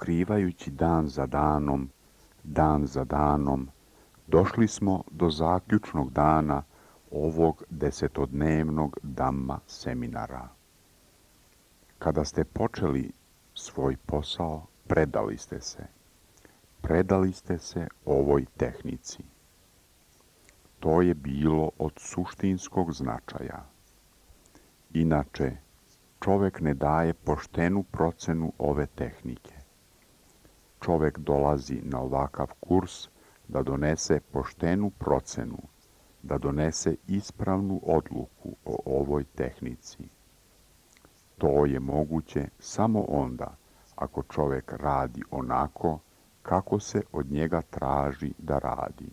otkrivajući dan za danom, došli smo do zaključnog dana ovog 10-dnevnog Dhamma seminara. Kada ste počeli svoj posao, predali ste se ovoj tehnici. To je bilo od suštinskog značaja. Inače, čovek ne daje poštenu procenu ove tehnike. Čovek dolazi na ovakav kurs da donese poštenu procenu, da donese ispravnu odluku o ovoj tehnici. To je moguće samo onda ako čovek radi onako kako se od njega traži da radi.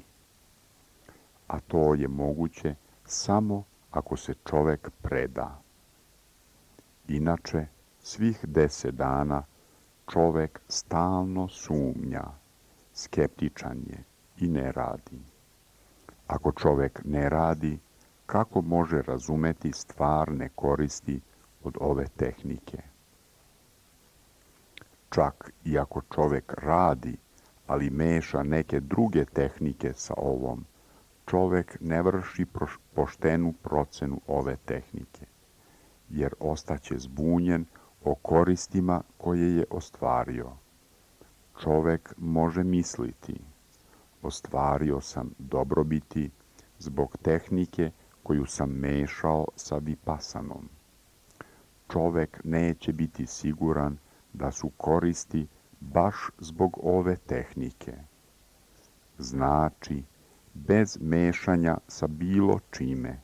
A to je moguće samo ako se čovek preda. Inače, svih 10 dana čovek stalno sumnja, skeptičan je i ne radi. Ako čovek ne radi, kako može razumeti stvarne koristi od ove tehnike? Čak i ako čovek radi, ali meša neke druge tehnike sa ovom, čovek ne vrši poštenu procenu ove tehnike, jer ostaće zbunjen o koristima koje je ostvario. Čovek može misliti, ostvario sam dobrobiti zbog tehnike koju sam mešao sa vipasanom. Čovek neće biti siguran da su koristi baš zbog ove tehnike. Znači, bez mešanja sa bilo čime,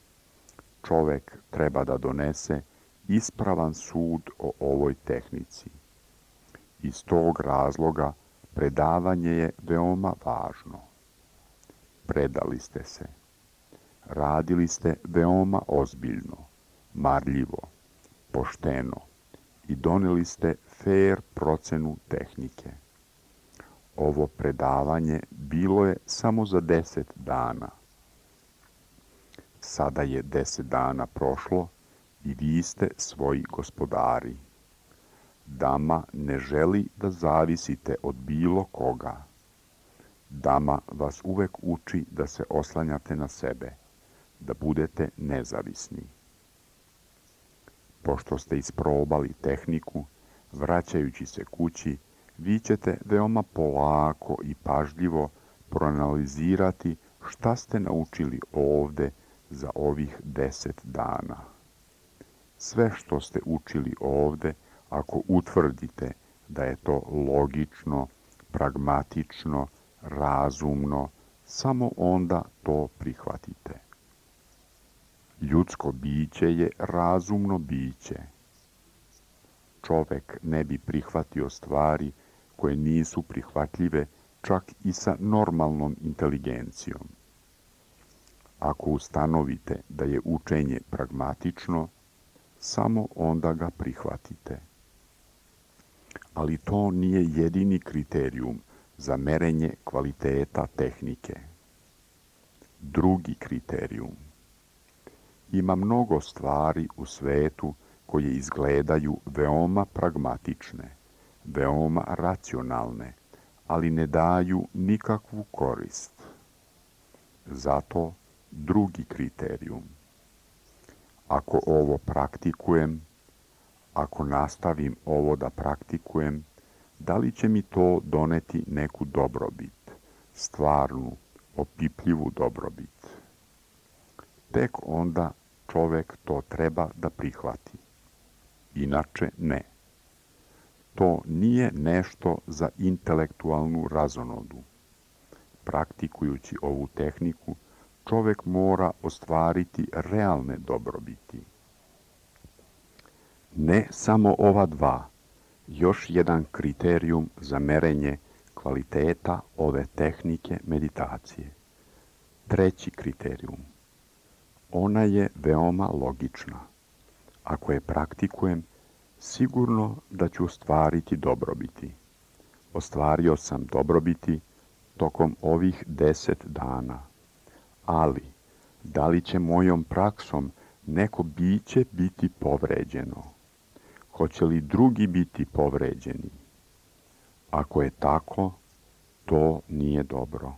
čovek treba da donese ispravan sud o ovoj tehnici. Iz tog razloga predavanje je veoma važno. Predali ste se. Radili ste veoma ozbiljno, marljivo, pošteno i doneli ste fer procenu tehnike. Ovo predavanje bilo je samo za 10 dana. Sada je 10 dana prošlo i vi ste svoji gospodari. Dhamma ne želi da zavisite od bilo koga. Dhamma vas uvek uči da se oslanjate na sebe, da budete nezavisni. Pošto ste isprobali tehniku, vraćajući se kući, vi ćete veoma polako i pažljivo proanalizirati šta ste naučili ovde za ovih 10 dana. Sve što ste učili ovde, ako utvrdite da je to logično, pragmatično, razumno, samo onda to prihvatite. Ljudsko biće je razumno biće. Čovek ne bi prihvatio stvari koje nisu prihvatljive čak i sa normalnom inteligencijom. Ako ustanovite da je učenje pragmatično, samo onda ga prihvatite. Ali to nije jedini kriterijum za merenje kvaliteta tehnike. Drugi kriterijum. Ima mnogo stvari u svetu koje izgledaju veoma pragmatične, veoma racionalne, ali ne daju nikakvu korist. Zato drugi kriterijum. Ako ovo praktikujem, ako nastavim ovo da praktikujem, da li će mi to doneti neku dobrobit, stvarnu, opipljivu dobrobit? Tek onda čovek to treba da prihvati. Inače ne. To nije nešto za intelektualnu razonodu. Praktikujući ovu tehniku, čovek mora ostvariti realne dobrobiti. Ne samo ova dva, još jedan kriterijum za merenje kvaliteta ove tehnike meditacije. Treći kriterijum. Ona je veoma logična. Ako je praktikujem, sigurno da ću ostvariti dobrobiti. Ostvario sam dobrobiti tokom ovih 10 dana. Ali, da li će mojom praksom neko biće biti povređeno? Hoće li drugi biti povređeni? Ako je tako, to nije dobro.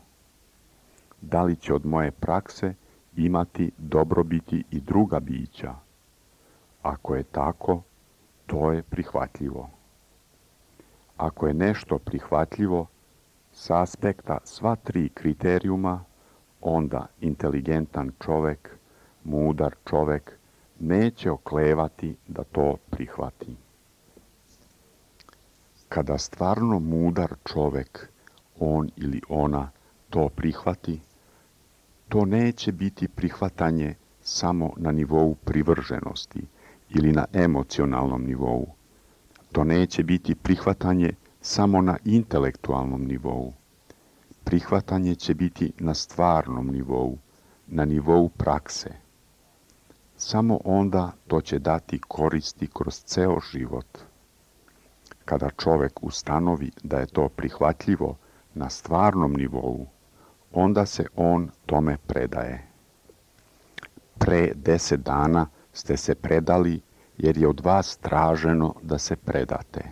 Da li će od moje prakse imati dobrobiti i druga bića? Ako je tako, to je prihvatljivo. Ako je nešto prihvatljivo s aspekta sva tri kriterijuma, onda inteligentan čovek, mudar čovek, neće oklevati da to prihvati. Kada stvarno mudar čovek, on ili ona, to prihvati, to neće biti prihvatanje samo na nivou privrženosti ili na emocionalnom nivou. To neće biti prihvatanje samo na intelektualnom nivou. Prihvatanje će biti na stvarnom nivou, na nivou prakse. Samo onda to će dati koristi kroz ceo život. Kada čovek ustanovi da je to prihvatljivo na stvarnom nivou, onda se on tome predaje. Pre 10 dana ste se predali jer je od vas traženo da se predate.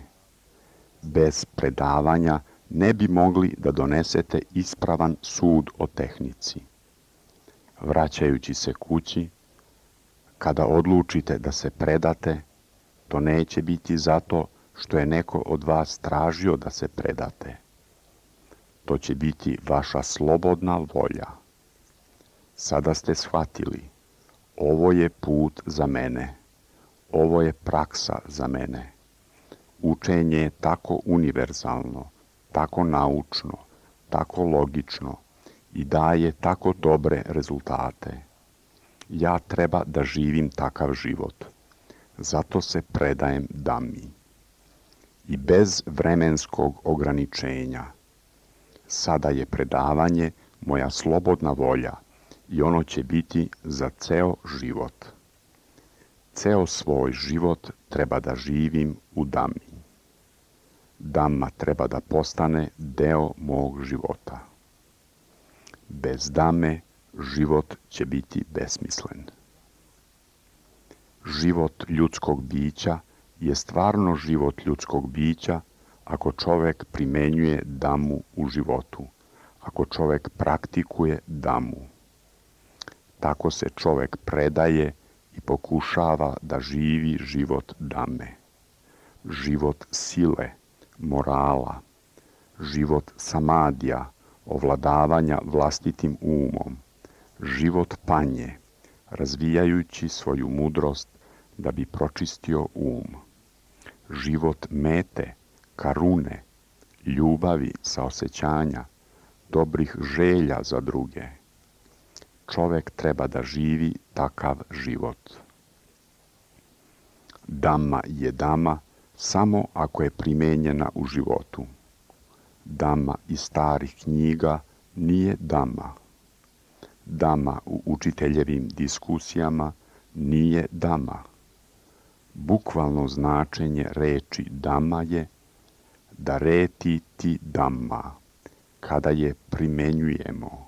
Bez predavanja ne bi mogli da donesete ispravan sud o tehnici. Vraćajući se kući, kada odlučite da se predate, to neće biti zato što je neko od vas tražio da se predate. To će biti vaša slobodna volja. Sada ste shvatili, ovo je put za mene, ovo je praksa za mene. Učenje je tako univerzalno, tako naučno, tako logično i daje tako dobre rezultate. Ja treba da živim takav život. Zato se predajem Dhammi. I bez vremenskog ograničenja. Sada je predavanje moja slobodna volja i ono će biti za ceo život. Ceo svoj život treba da živim u Dhammi. Dhamma treba da postane deo mog života. Bez Dhamme život će biti besmislen. Život ljudskog bića je stvarno život ljudskog bića ako čovek primenjuje Dhammu u životu, ako čovek praktikuje Dhammu. Tako se čovek predaje i pokušava da živi život Dhamme. Život sile, morala, život samadija, ovladavanja vlastitim umom, život panje, razvijajući svoju mudrost da bi pročistio um, život mete, karune, ljubavi, saosećanja, dobrih želja za druge. Čovek treba da živi takav život. Dhamma je Dhamma samo ako je primenjena u životu. Dhamma iz starih knjiga nije Dhamma. Dhamma u učiteljevim diskusijama nije Dhamma. Bukvalno značenje reči Dhamma je da reti ti Dhamma, kada je primenjujemo.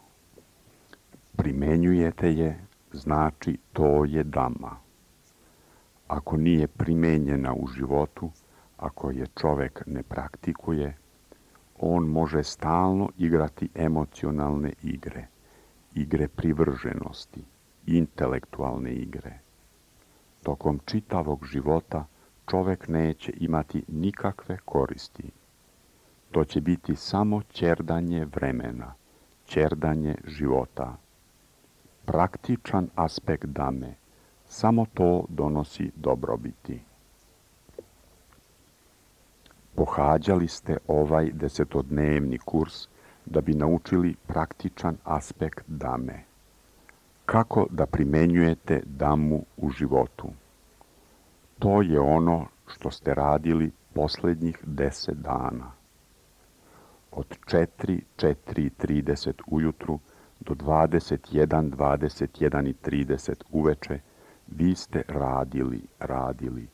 Primenjujete je, znači to je Dhamma. Ako nije primenjena u životu, ako je čovek ne praktikuje, on može stalno igrati emocionalne igre, igre privrženosti, intelektualne igre. Tokom čitavog života čovek neće imati nikakve koristi. To će biti samo ćerdanje vremena, ćerdanje života. Praktičan aspekt Dhamme, samo to donosi dobrobiti. Pohađali ste ovaj 10-dnevni kurs da bi naučili praktičan aspekt Dhamme. Kako da primenjujete Dhammu u životu? To je ono što ste radili posljednjih 10 dana. Od 4:30 ujutru do 21:30 uveče vi ste radili.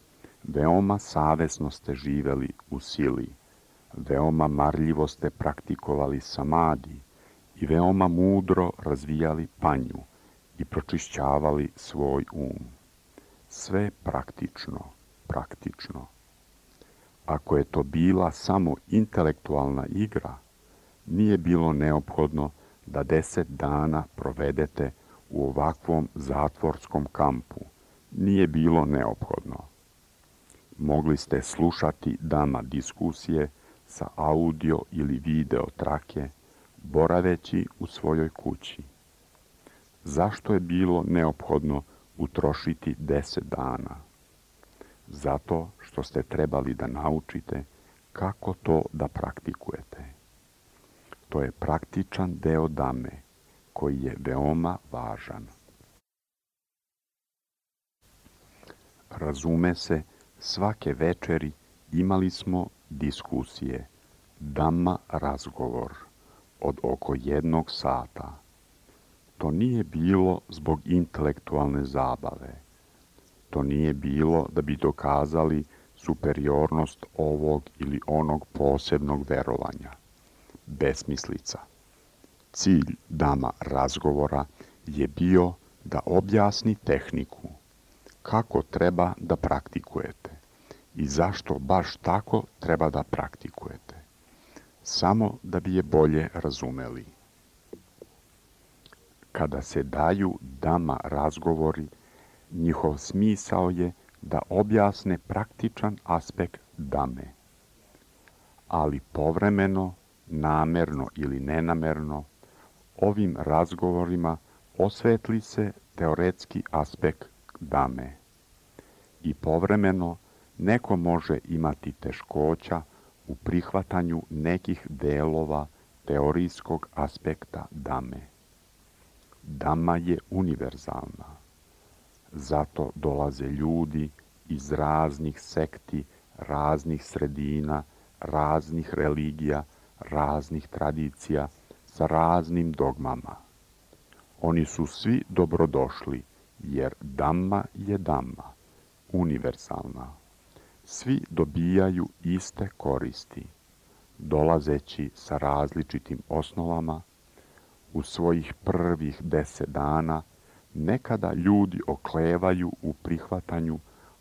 Veoma savesno ste živeli u sili. Veoma marljivo ste praktikovali samadi i veoma mudro razvijali panju i pročišćavali svoj um. Sve praktično. Ako je to bila samo intelektualna igra, nije bilo neophodno da 10 dana provedete u ovakvom zatvorskom kampu. Nije bilo neophodno. Mogli ste slušati Dhamma diskusije sa audio ili video trake, boraveći u svojoj kući. Zašto je bilo neophodno utrošiti 10 dana? Zato što ste trebali da naučite kako to da praktikujete. To je praktičan deo Dhame, koji je veoma važan. Razume se, svake večeri imali smo diskusije, Dhamma razgovor, od oko 1 sata. To nije bilo zbog intelektualne zabave. To nije bilo da bi dokazali superiornost ovog ili onog posebnog verovanja. Besmislica. Cilj Dhamma razgovora je bio da objasni tehniku, kako treba da praktikujete i zašto baš tako treba da praktikujete, samo da bi je bolje razumeli. Kada se daju Dhamma razgovori, njihov smisao je da objasne praktičan aspekt Dhame, ali povremeno, namerno ili nenamerno, ovim razgovorima osvetli se teoretski aspekt Dhame i povremeno neko može imati teškoća u prihvatanju nekih delova teorijskog aspekta Dhame. Dhamma je univerzalna. Zato dolaze ljudi iz raznih sekti, raznih sredina, raznih religija, raznih tradicija, sa raznim dogmama. Oni su svi dobrodošli, jer Dhamma je Dhamma, univerzalna. Svi dobijaju iste koristi, dolazeći sa različitim osnovama. U svojih prvih 10 dana nekada ljudi oklevaju u prihvatanju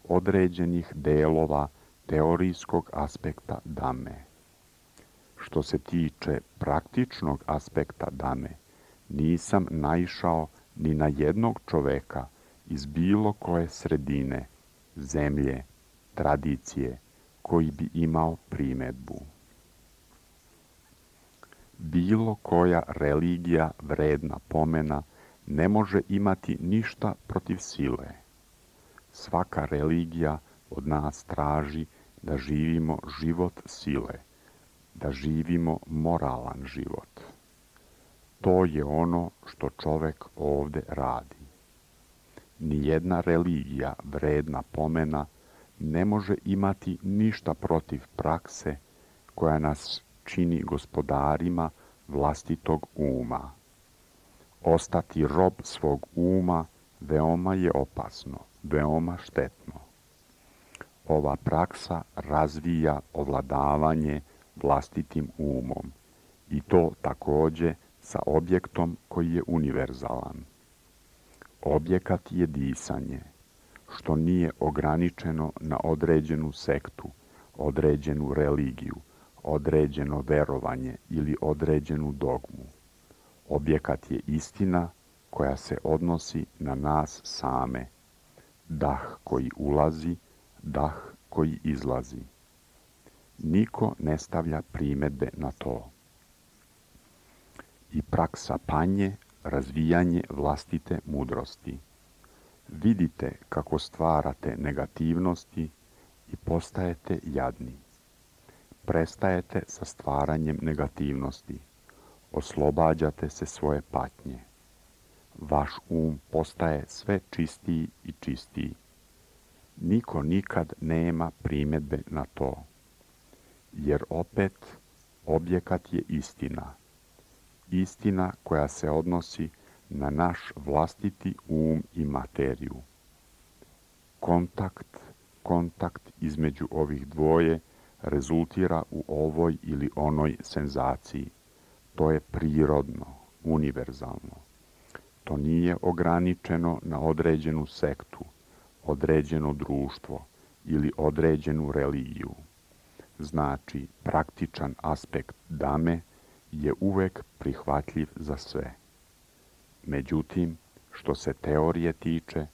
određenih delova teorijskog aspekta Dhame. Što se tiče praktičnog aspekta Dhame, nisam naišao ni na jednog čoveka iz bilo koje sredine, zemlje, tradicije, koji bi imao primedbu. Bilo koja religija vredna pomena ne može imati ništa protiv sile. Svaka religija od nas traži da živimo život sile, da živimo moralan život. To je ono što čovek ovde radi. Nijedna religija vredna pomena ne može imati ništa protiv prakse koja nas čini gospodarima vlastitog uma. Ostati rob svog uma veoma je opasno, veoma štetno. Ova praksa razvija ovladavanje vlastitim umom i to takođe sa objektom koji je univerzalan. Objekat je disanje, što nije ograničeno na određenu sektu, određenu religiju, određeno verovanje ili određenu dogmu. Objekat je istina koja se odnosi na nas same. Dah koji ulazi, dah koji izlazi. Niko ne stavlja primedbe na to. I praksa panje, razvijanje vlastite mudrosti. Vidite kako stvarate negativnosti i postajete jadni. Prestajete sa stvaranjem negativnosti. Oslobađate se svoje patnje. Vaš postaje sve čistiji i čistiji. Niko nikad nema primedbe na to. Jer opet, objekat je istina. Istina koja se odnosi na naš vlastiti i materiju. Kontakt između ovih dvoje rezultira u ovoj ili onoj senzaciji. To je prirodno, univerzalno. To nije ograničeno na određenu sektu, određeno društvo ili određenu religiju. znači praktičan aspekt dame, je uvek prihvatljiv za sve. Međutim, što se teorije tiče,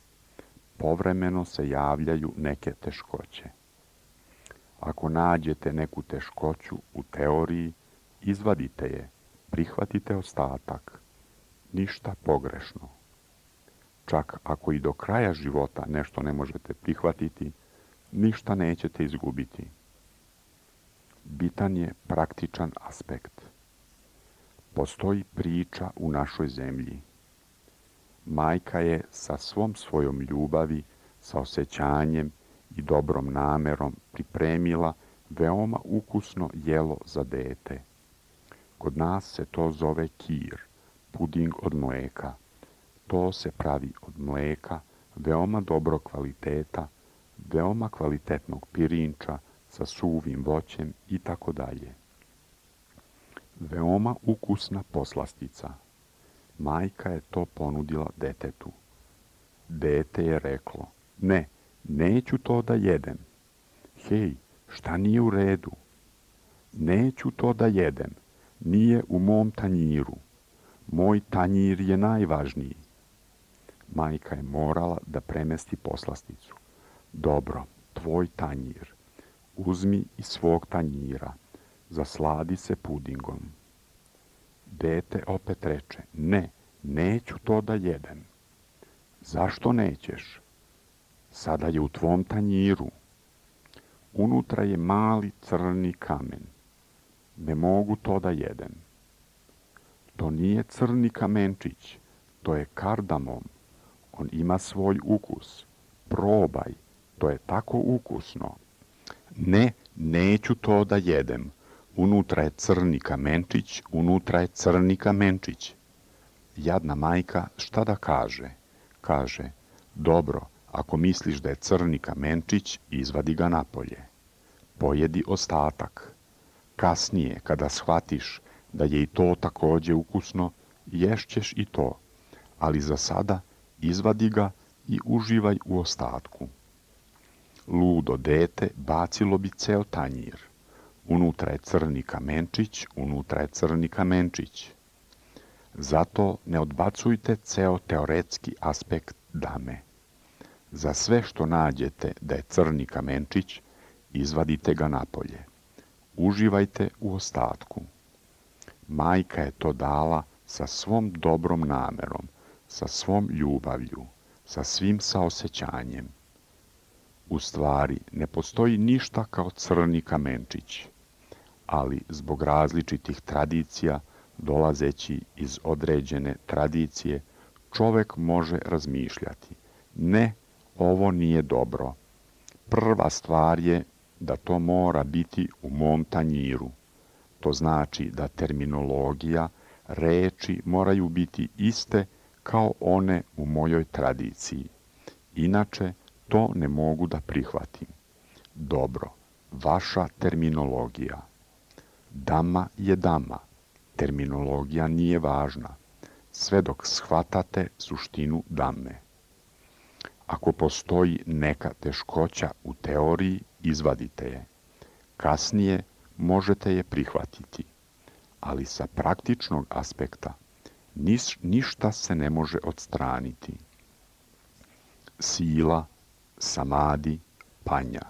povremeno se javljaju neke teškoće. Ako nađete neku teškoću u teoriji, izvadite je, prihvatite ostatak. Ništa pogrešno. Čak ako i do kraja života nešto ne možete prihvatiti, ništa nećete izgubiti. Bitan je praktičan aspekt. Postoji priča u našoj zemlji. Majka je sa svom svojom ljubavi, sa osjećanjem i dobrom namerom pripremila veoma ukusno jelo za dete. Kod nas se to zove kir, puding od mlijeka. To se pravi od mlijeka, veoma dobro kvaliteta, veoma kvalitetnog pirinča sa suvim voćem i tako dalje. Veoma ukusna poslastica. Majka je to ponudila detetu. Dete je reklo, ne, neću to da jedem. Hej, šta nije u redu? Neću to da jedem, nije u mom tanjiru. Moj tanjir je najvažniji. Majka je morala da premesti poslasticu. Dobro, tvoj tanjir. Uzmi iz svog tanjira. Zasladi se pudingom. Dete opet reče, ne, neću to da jedem. Zašto nećeš? Sada je u tvom tanjiru. Unutra je mali crni kamen. Ne mogu to da jedem. To nije crni kamenčić, to je kardamom. On ima svoj ukus. Probaj, to je tako ukusno. Ne, neću to da jedem. Unutra je crni kamenčić, unutra je crni kamenčić. Jadna majka šta da kaže? Kaže, dobro, ako misliš da je crni kamenčić, izvadi ga napolje. Pojedi ostatak. Kasnije, kada shvatiš da je i to takođe ukusno, ješćeš i to, ali za sada izvadi ga i uživaj u ostatku. Ludo dete bacilo bi ceo tanjir. Unutra je crni kamenčić, unutra je crni kamenčić. Zato ne odbacujte ceo teoretski aspekt dame. Za sve što nađete da je crni kamenčić, izvadite ga napolje. Uživajte u ostatku. Majka je to dala sa svom dobrom namerom, sa svom ljubavlju, sa svim saosećanjem. U stvari, ne postoji ništa kao crni kamenčić, ali zbog različitih tradicija, dolazeći iz određene tradicije, čovek može razmišljati. Ne, ovo nije dobro. Prva stvar je da to mora biti u mom tanjiru. To znači da terminologija, reči moraju biti iste kao one u mojoj tradiciji. Inače, to ne mogu da prihvatim. Dobro, vaša terminologija. Dama je dama. Terminologija nije važna, sve dok shvatate suštinu dame. Ako postoji neka teškoća u teoriji, izvadite je. Kasnije možete je prihvatiti, ali sa praktičnog aspekta ništa se ne može odstraniti. Sila, samadi, panja.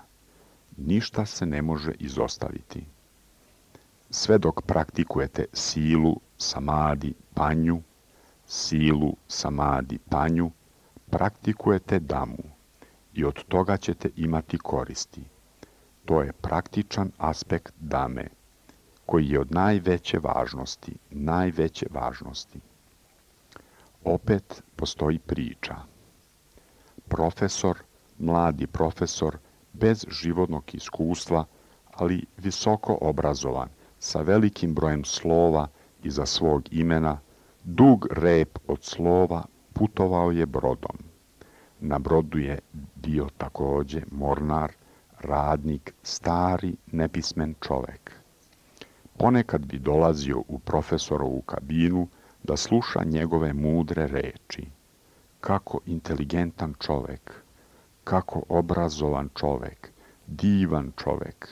Ništa se ne može izostaviti. Sve dok praktikujete silu, samadi, panju, silu, samadi, panju, praktikujete damu i od toga ćete imati koristi. To je praktičan aspekt dame, koji je od najveće važnosti. Opet postoji priča. Mladi profesor, bez životnog iskustva, ali visoko obrazovan, sa velikim brojem slova iza svog imena, dug rep od slova putovao je brodom. Na brodu je bio takođe mornar, radnik, stari, nepismen čovek. Ponekad bi dolazio u profesorovu kabinu da sluša njegove mudre reči. Kako inteligentan čovek, kako obrazovan čovek, divan čovek.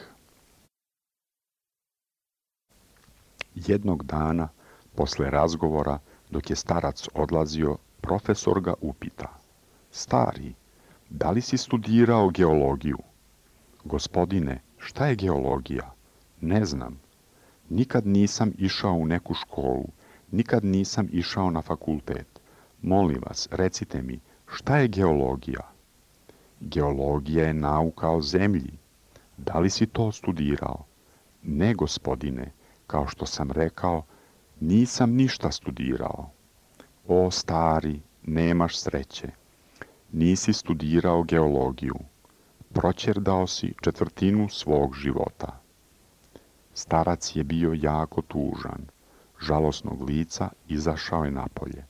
Jednog dana, posle razgovora, dok je starac odlazio, profesor ga upita: Stari, da li si studirao geologiju? Gospodine, šta je geologija? Ne znam. Nikad nisam išao u neku školu, nikad nisam išao na fakultet. Molim vas, recite mi, šta je geologija? Geologija je nauka o zemlji. Da li si to studirao? Ne, gospodine, kao što sam rekao, nisam ništa studirao. O, stari, nemaš sreće. Nisi studirao geologiju. Proćerdao si četvrtinu svog života. Starac je bio jako tužan. Žalosnog lica izašao je napolje.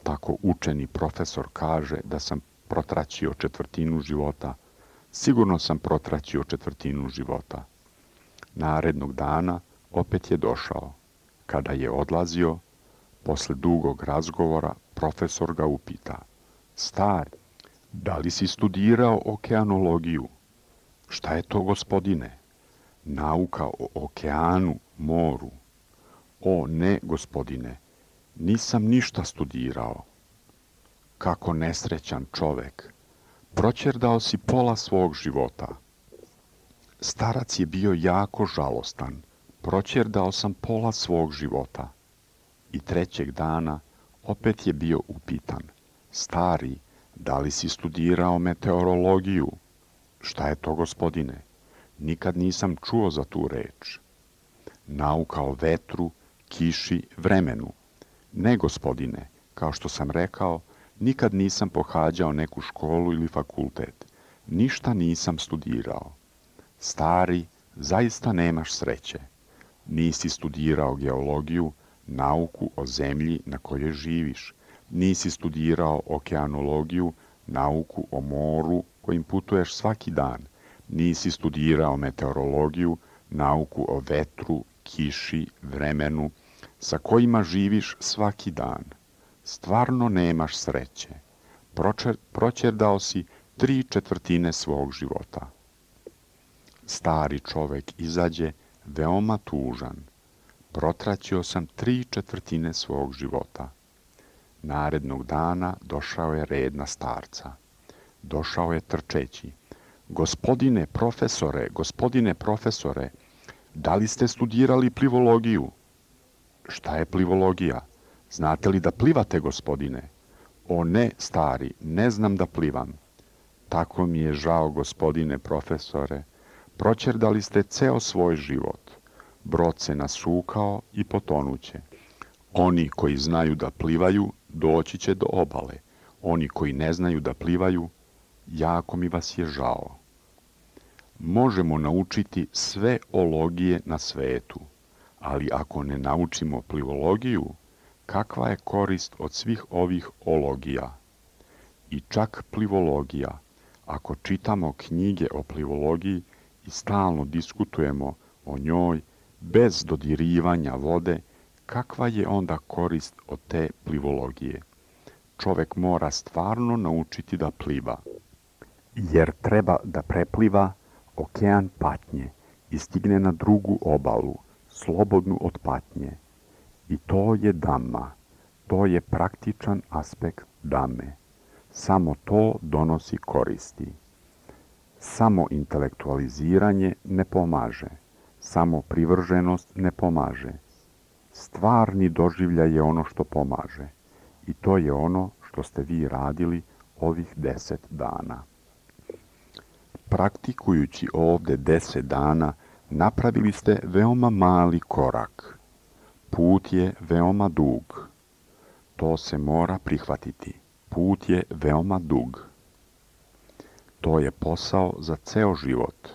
Tako učeni profesor kaže da sam protraćio četvrtinu života. Sigurno sam protraćio četvrtinu života. Narednog dana opet je došao. Kada je odlazio, posle dugog razgovora, profesor ga upita: Stari, da li si studirao okeanologiju? Šta je to, gospodine? Nauka o okeanu, moru. O, ne, gospodine, nisam ništa studirao. Kako nesrećan čovek. Proćerdao si pola svog života. Starac je bio jako žalostan. Proćerdao sam pola svog života. I trećeg dana opet je bio upitan: Stari, da li si studirao meteorologiju? Šta je to, gospodine? Nikad nisam čuo za tu reč. Nauka o vetru, kiši, vremenu. Ne, gospodine, kao što sam rekao, nikad nisam pohađao neku školu ili fakultet. Ništa nisam studirao. Stari, zaista nemaš sreće. Nisi studirao geologiju, nauku o zemlji na kojoj živiš. Nisi studirao okeanologiju, nauku o moru kojim putuješ svaki dan. Nisi studirao meteorologiju, nauku o vetru, kiši, vremenu, sa kojima živiš svaki dan. Stvarno nemaš sreće. Proćerdao si 3/4 svog života. Stari čovek izađe veoma tužan. Protraćio sam 3/4 svog života. Narednog dana došao je red na starca. Došao je trčeći. Gospodine profesore, da li ste studirali plivologiju? Šta je plivologija? Znate li da plivate, gospodine? O ne, stari, ne znam da plivam. Tako mi je žao, gospodine profesore. Proćerdali ste ceo svoj život. Brod se nasukao i potonuće. Oni koji znaju da plivaju, doći će do obale. Oni koji ne znaju da plivaju, jako mi vas je žao. Možemo naučiti sve ologije na svetu, ali ako ne naučimo plivologiju, kakva je korist od svih ovih ologija? I čak plivologija, ako čitamo knjige o plivologiji i stalno diskutujemo o njoj bez dodirivanja vode, kakva je onda korist od te plivologije? Čovek mora stvarno naučiti da pliva, jer treba da prepliva okean patnje i stigne na drugu obalu, slobodnu od patnje. I to je dhamma, to je praktičan aspekt dhame. Samo to donosi koristi. Samo intelektualiziranje ne pomaže, samo privrženost ne pomaže. Stvarni doživljaj je ono što pomaže. I to je ono što ste vi radili ovih 10 dana. Praktikujući ovde 10 dana, napravili ste veoma mali korak. Put je veoma dug. To se mora prihvatiti. Put je veoma dug. To je posao za ceo život.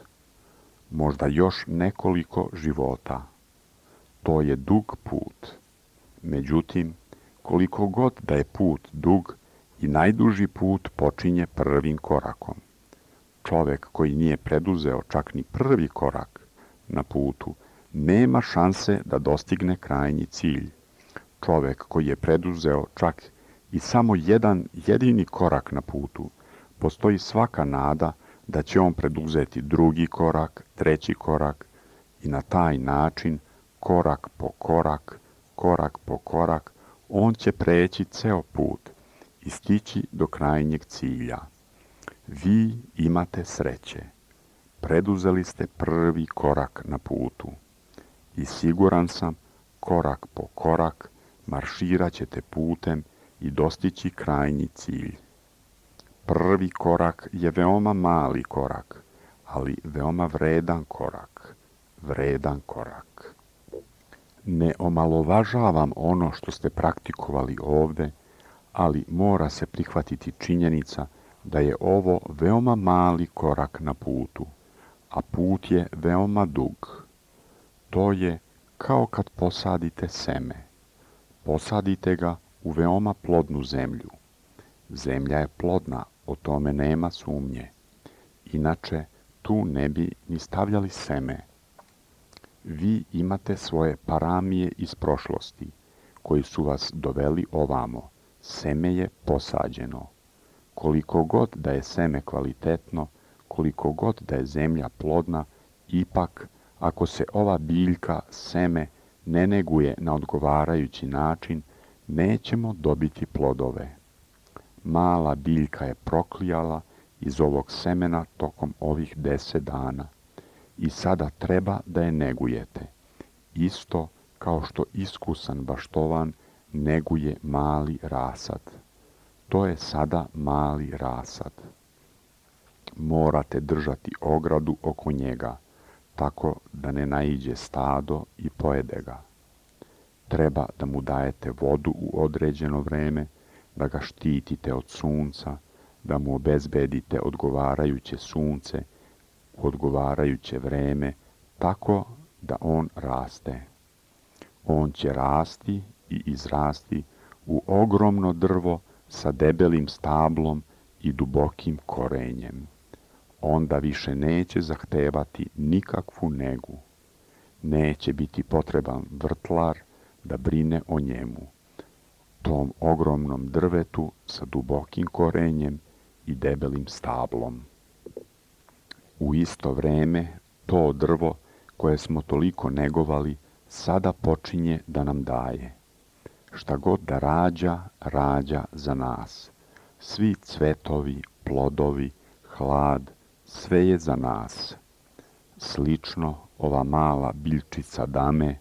Možda još nekoliko života. To je dug put. Međutim, koliko god da je put dug, i najduži put počinje prvim korakom. Čovek koji nije preduzeo čak ni prvi korak na putu, nema šanse da dostigne krajnji cilj. Čovek koji je preduzeo čak i samo jedan jedini korak na putu, postoji svaka nada da će on preduzeti drugi korak, treći korak i na taj način korak po korak, on će preći ceo put i stići do krajnjeg cilja. Vi imate sreće. Preduzeli ste prvi korak na putu i siguran sam, korak po korak, marširat ćete putem i dostići krajnji cilj. Prvi korak je veoma mali korak, ali veoma vredan korak. Ne omalovažavam ono što ste praktikovali ovde, ali mora se prihvatiti činjenica da je ovo veoma mali korak na putu, a put je veoma dug. To je kao kad posadite seme. Posadite ga u veoma plodnu zemlju. Zemlja je plodna, o tome nema sumnje. Inače, tu ne bi ni stavljali seme. Vi imate svoje paramije iz prošlosti, koji su vas doveli ovamo. Seme je posađeno. Koliko god da je seme kvalitetno, koliko god da je zemlja plodna, ipak, ako se ova biljka, seme, ne neguje na odgovarajući način, nećemo dobiti plodove. Mala biljka je proklijala iz ovog semena tokom ovih 10 dana i sada treba da je negujete, isto kao što iskusan baštovan neguje mali rasad. To je sada mali rasad. Morate držati ogradu oko njega, tako da ne naiđe stado i pojede ga. Treba da mu dajete vodu u određeno vreme, da ga štitite od sunca, da mu obezbedite odgovarajuće sunce u odgovarajuće vreme, tako da on raste. On će rasti i izrasti u ogromno drvo sa debelim stablom i dubokim korenjem. Onda više neće zahtevati nikakvu negu. Neće biti potreban vrtlar da brine o njemu, tom ogromnom drvetu sa dubokim korenjem i debelim stablom. U isto vreme, to drvo koje smo toliko negovali, sada počinje da nam daje. Šta god da rađa, rađa za nas. Svi cvetovi, plodovi, hlad, sve je za nas. Slično, ova mala biljčica dame,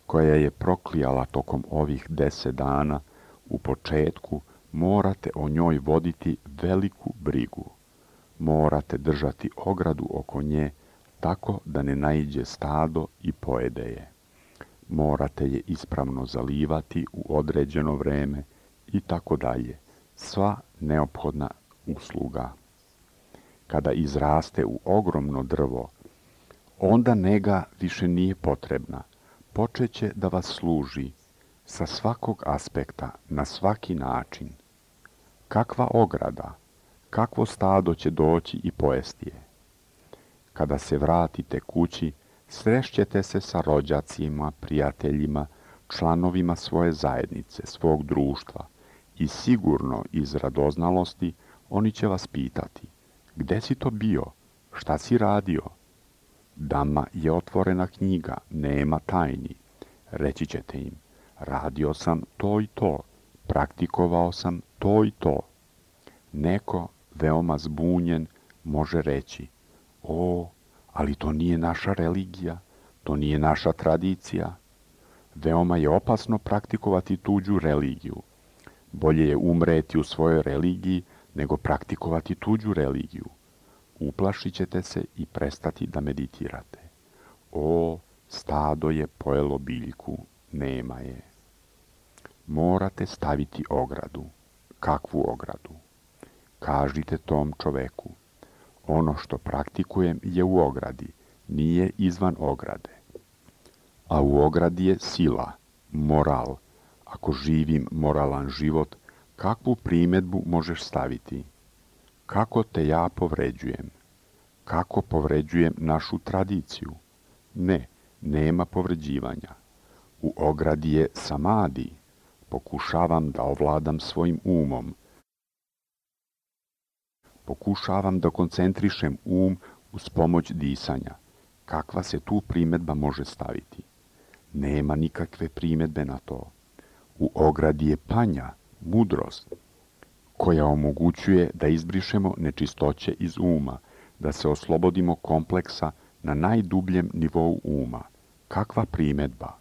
koja je proklijala tokom ovih 10 dana, u početku morate o njoj voditi veliku brigu. Morate držati ogradu oko nje tako da ne naiđe stado i pojede je. Morate je ispravno zalivati u određeno vreme i tako dalje. Sva neophodna usluga. Kada izraste u ogromno drvo, onda nega više nije potrebna. Počeće da vas služi sa svakog aspekta, na svaki način. Kakva ograda, kakvo stado će doći i pojesti je. Kada se vratite kući, srešćete se sa rođacima, prijateljima, članovima svoje zajednice, svog društva i sigurno iz radoznalosti oni će vas pitati: gde si to bio? Šta si radio? Dama je otvorena knjiga, nema tajni. Reći ćete im: radio sam to i to, praktikovao sam to i to. Neko, veoma zbunjen, može reći: o, ali to nije naša religija, to nije naša tradicija. Veoma je opasno praktikovati tuđu religiju. Bolje je umreti u svojoj religiji nego praktikovati tuđu religiju. Uplašit ćete se i prestati da meditirate. O, stado je pojelo biljku, nema je. Morate staviti ogradu. Kakvu ogradu? Kažite tom čoveku: ono što praktikujem je u ogradi, nije izvan ograde. A u ogradi je sila, moral. Ako živim moralan život, kakvu primjedbu možeš staviti? Kako te ja povređujem? Kako povređujem našu tradiciju? Ne, nema povređivanja. U ogradi je samadi. Pokušavam da ovladam svojim umom. Pokušavam da koncentrišem um uz pomoć disanja. Kakva se tu primjedba može staviti? Nema nikakve primjedbe na to. U ogradi je panja, mudrost, koja omogućuje da izbrišemo nečistoće iz uma, da se oslobodimo kompleksa na najdubljem nivou uma. Kakva primjedba?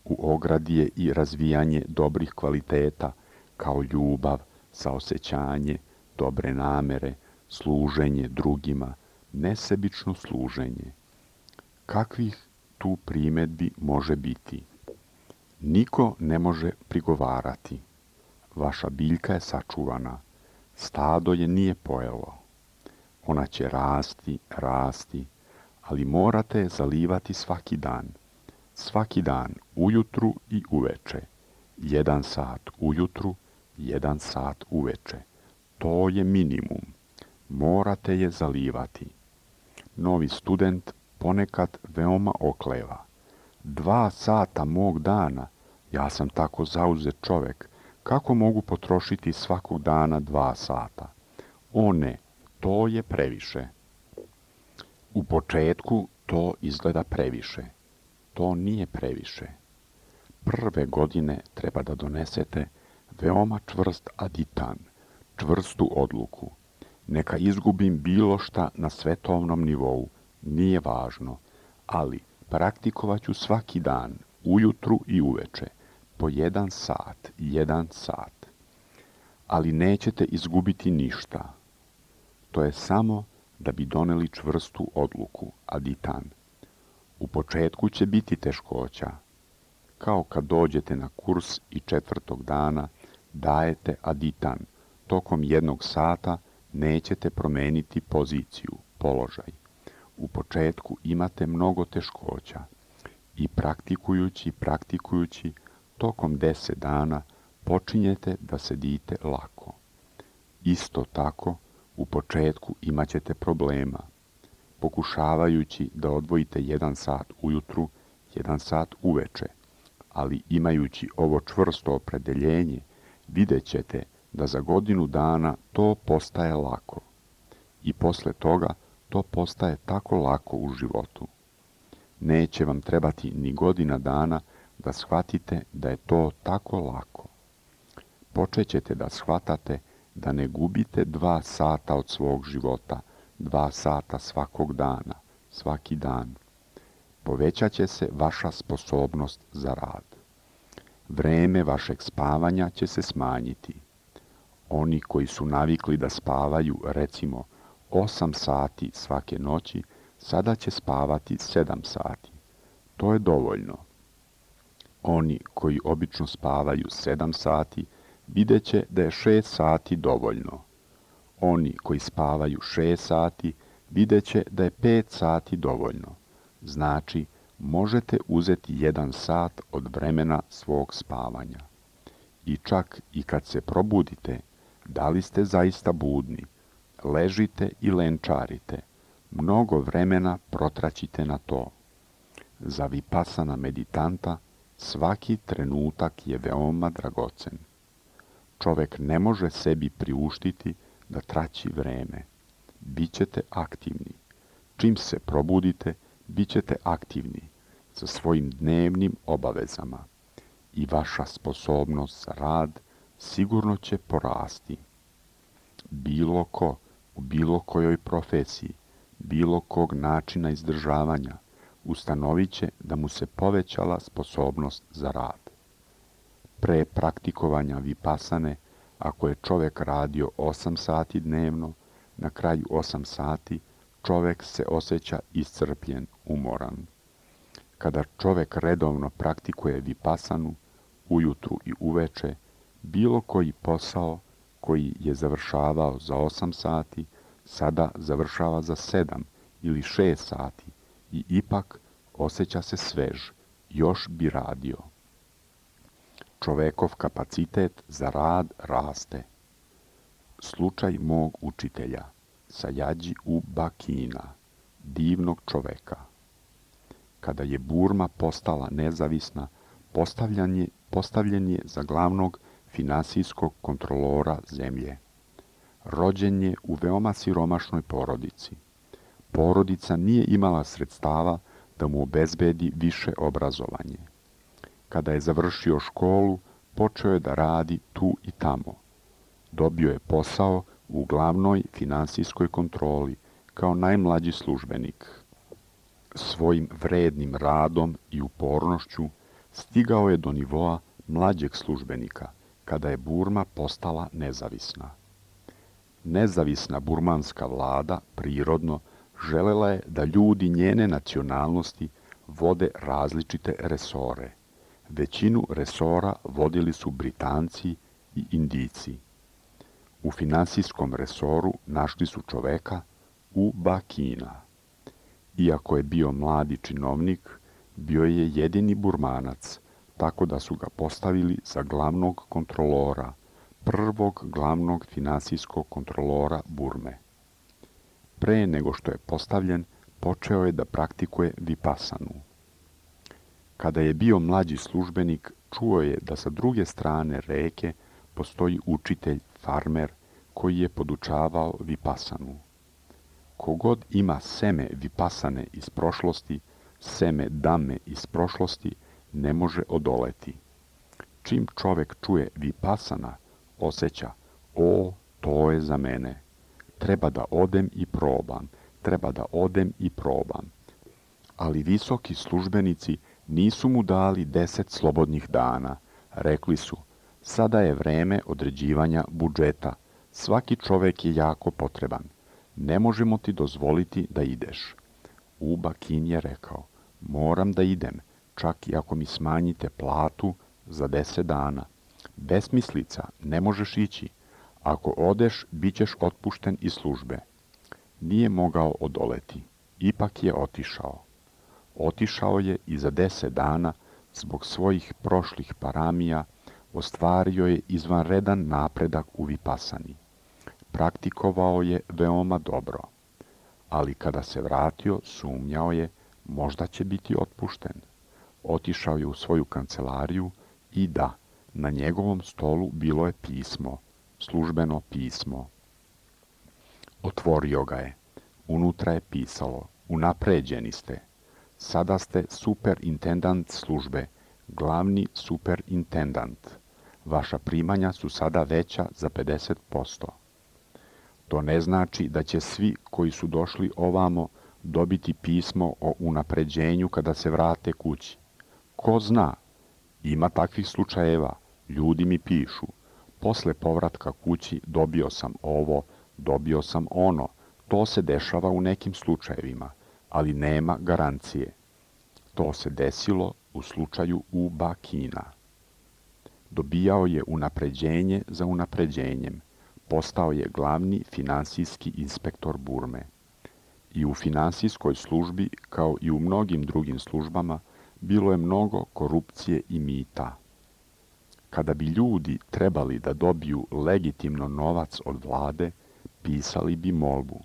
U ogradi je i razvijanje dobrih kvaliteta, kao ljubav, saosećanje, dobre namere, služenje drugima, nesebično služenje. Kakvih tu primjedbi može biti? Niko ne može prigovarati. Vaša biljka je sačuvana, stado je nije pojelo. Ona će rasti, ali morate je zalivati svaki dan. Svaki dan, ujutru i uveče. 1 sat ujutru, 1 sat uveče. To je minimum. Morate je zalivati. Novi student ponekad veoma okleva. 2 sata mog dana, ja sam tako zauzet čovek, kako mogu potrošiti svakog dana 2 sata? O ne, to je previše. U početku to izgleda previše. To nije previše. Prve godine treba da donesete veoma čvrst aditan, čvrstu odluku. Neka izgubim bilo šta na svetovnom nivou, nije važno, ali praktikovat ću svaki dan, ujutru i uveče, po 1 sat, 1 sat. Ali nećete izgubiti ništa. To je samo da bi doneli čvrstu odluku, aditan. U početku će biti teškoća. Kao kad dođete na kurs i 4. dana dajete aditan. Tokom 1 sata nećete promeniti poziciju, položaj. U početku imate mnogo teškoća i praktikujući, tokom 10 dana počinjete da sedite lako. Isto tako, u početku imat ćete problema. Pokušavajući da odvojite 1 sat ujutru, 1 sat uveče, ali imajući ovo čvrsto opredeljenje, vidjet ćete da za godinu dana to postaje lako. I posle toga to postaje tako lako u životu. Neće vam trebati ni godina dana da shvatite da je to tako lako. Počećete da shvatate da ne gubite 2 sata od svog života, 2 sata svakog dana, svaki dan. Povećat će se vaša sposobnost za rad. Vreme vašeg spavanja će se smanjiti. Oni koji su navikli da spavaju, recimo, 8 sati svake noći, sada će spavati 7 sati. To je dovoljno. Oni koji obično spavaju 7 sati, vidjet će da je 6 sati dovoljno. Oni koji spavaju 6 sati, vidjet će da je 5 sati dovoljno. Znači, možete uzeti 1 sat od vremena svog spavanja. I čak i kad se probudite, da li ste zaista budni, ležite i lenčarite, mnogo vremena protraćite na to. Za vipasana meditanta svaki trenutak je veoma dragocen. Čovek ne može sebi priuštiti da traći vreme. Bićete aktivni. Čim se probudite, bićete aktivni sa svojim dnevnim obavezama i vaša sposobnost za rad sigurno će porasti. Bilo ko, u bilo kojoj profesiji, bilo kog načina izdržavanja, ustanovit će da mu se povećala sposobnost za rad. Pre praktikovanja vipasane, ako je čovek radio 8 sati dnevno, na kraju 8 sati čovek se osjeća iscrpljen, umoran. Kada čovek redovno praktikuje vipasanu, ujutru i uveče, bilo koji posao koji je završavao za 8 sati, sada završava za 7 ili 6 sati i ipak osjeća se svež, još bi radio. Čovekov kapacitet za rad raste. Slučaj mog učitelja, Sajađi Uba Kina, divnog čoveka. Kada je Burma postala nezavisna, postavljen je za glavnog finansijskog kontrolora zemlje. Rođen je u veoma siromašnoj porodici. Porodica nije imala sredstava da mu obezbedi više obrazovanje. Kada je završio školu, počeo je da radi tu i tamo. Dobio je posao u glavnoj finansijskoj kontroli kao najmlađi službenik. Svojim vrednim radom i upornošću stigao je do nivoa mlađeg službenika, kada je Burma postala nezavisna. Nezavisna burmanska vlada prirodno želela je da ljudi njene nacionalnosti vode različite resore. Većinu resora vodili su Britanci i Indijci. U finansijskom resoru našli su čoveka Uba Kina. Iako je bio mladi činovnik, bio je jedini Burmanac, tako da su ga postavili za glavnog kontrolora, prvog glavnog finansijskog kontrolora Burme. Pre nego što je postavljen, počeo je da praktikuje vipasanu. Kada je bio mlađi službenik, čuo je da sa druge strane reke postoji učitelj, farmer, koji je podučavao vipasanu. Kogod ima seme vipasane iz prošlosti, seme dame iz prošlosti, ne može odoleti. Čim čovek čuje vipasana, osjeća, o, to je za mene. Treba da odem i probam, treba da odem i probam. Ali visoki službenici nisu mu dali 10 slobodnih dana. Rekli su, sada je vreme određivanja budžeta. Svaki čovek je jako potreban. Ne možemo ti dozvoliti da ideš. Uba Kin je rekao, moram da idem, čak i ako mi smanjite platu za 10 dana. Besmislica, ne možeš ići. Ako odeš, bit ćeš otpušten iz službe. Nije mogao odoleti. Ipak je otišao. Otišao je i za 10 dana, zbog svojih prošlih paramija, ostvario je izvanredan napredak u vipasani. Praktikovao je veoma dobro. Ali kada se vratio, sumnjao je, možda će biti otpušten. Otišao je u svoju kancelariju i da, na njegovom stolu bilo je pismo, službeno pismo. Otvorio ga je. Unutra je pisalo, unapređeni ste. Sada ste superintendant službe, glavni superintendant. Vaša primanja su sada veća za 50%. To ne znači da će svi koji su došli ovamo dobiti pismo o unapređenju kada se vrate kući. Ko zna? Ima takvih slučajeva. Ljudi mi pišu. Posle povratka kući dobio sam ovo, dobio sam ono. To se dešava u nekim slučajevima, ali nema garancije. To se desilo u slučaju Uba Kina. Dobijao je unapređenje za unapređenjem. Postao je glavni finansijski inspektor Burme. I u finansijskoj službi, kao i u mnogim drugim službama, bilo je mnogo korupcije i mita. Kada bi ljudi trebali da dobiju legitimno novac od vlade, pisali bi molbu.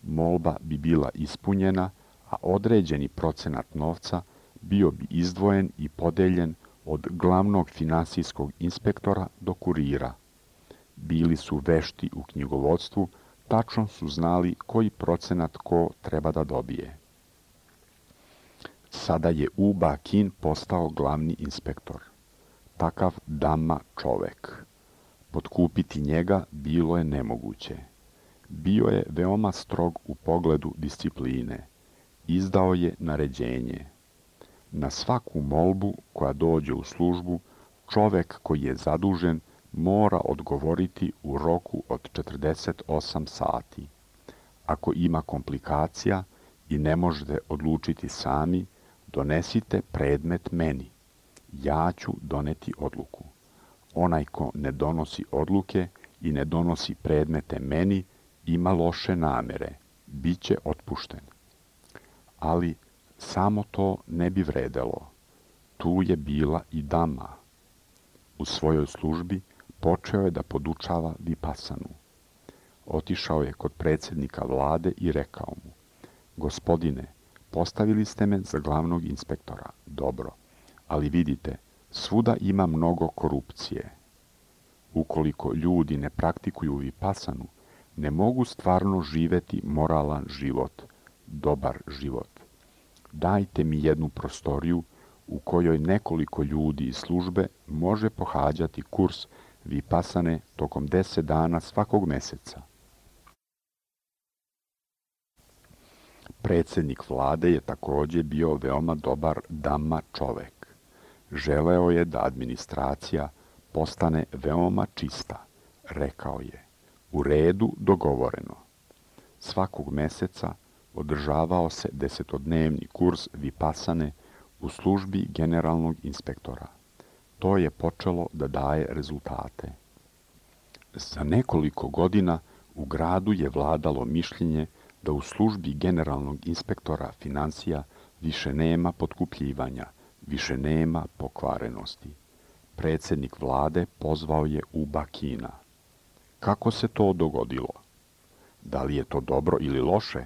Molba bi bila ispunjena, a određeni procenat novca bio bi izdvojen i podeljen od glavnog finansijskog inspektora do kurira. Bili su vešti u knjigovodstvu, tačno su znali koji procenat ko treba da dobije. Sada je Uba Kin postao glavni inspektor. Takav dama čovek. Potkupiti njega bilo je nemoguće. Bio je veoma strog u pogledu discipline. Izdao je naređenje. Na svaku molbu koja dođe u službu, čovek koji je zadužen mora odgovoriti u roku od 48 sati. Ako ima komplikacija i ne možete odlučiti sami, donesite predmet meni. Ja ću doneti odluku. Onaj ko ne donosi odluke i ne donosi predmete meni, ima loše namere, bit će otpušten. Ali samo to ne bi vredelo. Tu je bila i dama. U svojoj službi počeo je da podučava vipasanu. Otišao je kod predsjednika vlade i rekao mu, gospodine, postavili ste me za glavnog inspektora, dobro, ali vidite, svuda ima mnogo korupcije. Ukoliko ljudi ne praktikuju vipasanu, ne mogu stvarno živeti moralan život, dobar život. Dajte mi jednu prostoriju u kojoj nekoliko ljudi iz službe može pohađati kurs Vipasane tokom 10 dana svakog meseca. Predsjednik vlade je također bio veoma dobar Dhamma čovek. Želeo je da administracija postane veoma čista. Rekao je, u redu, dogovoreno. Svakog meseca održavao se 10-dnevni kurs Vipasane u službi generalnog inspektora. To je počelo da daje rezultate. Za nekoliko godina u gradu je vladalo mišljenje da u službi generalnog inspektora financija više nema potkupljivanja, više nema pokvarenosti. Predsjednik vlade pozvao je Uba Kina. Kako se to dogodilo? Da li je to dobro ili loše?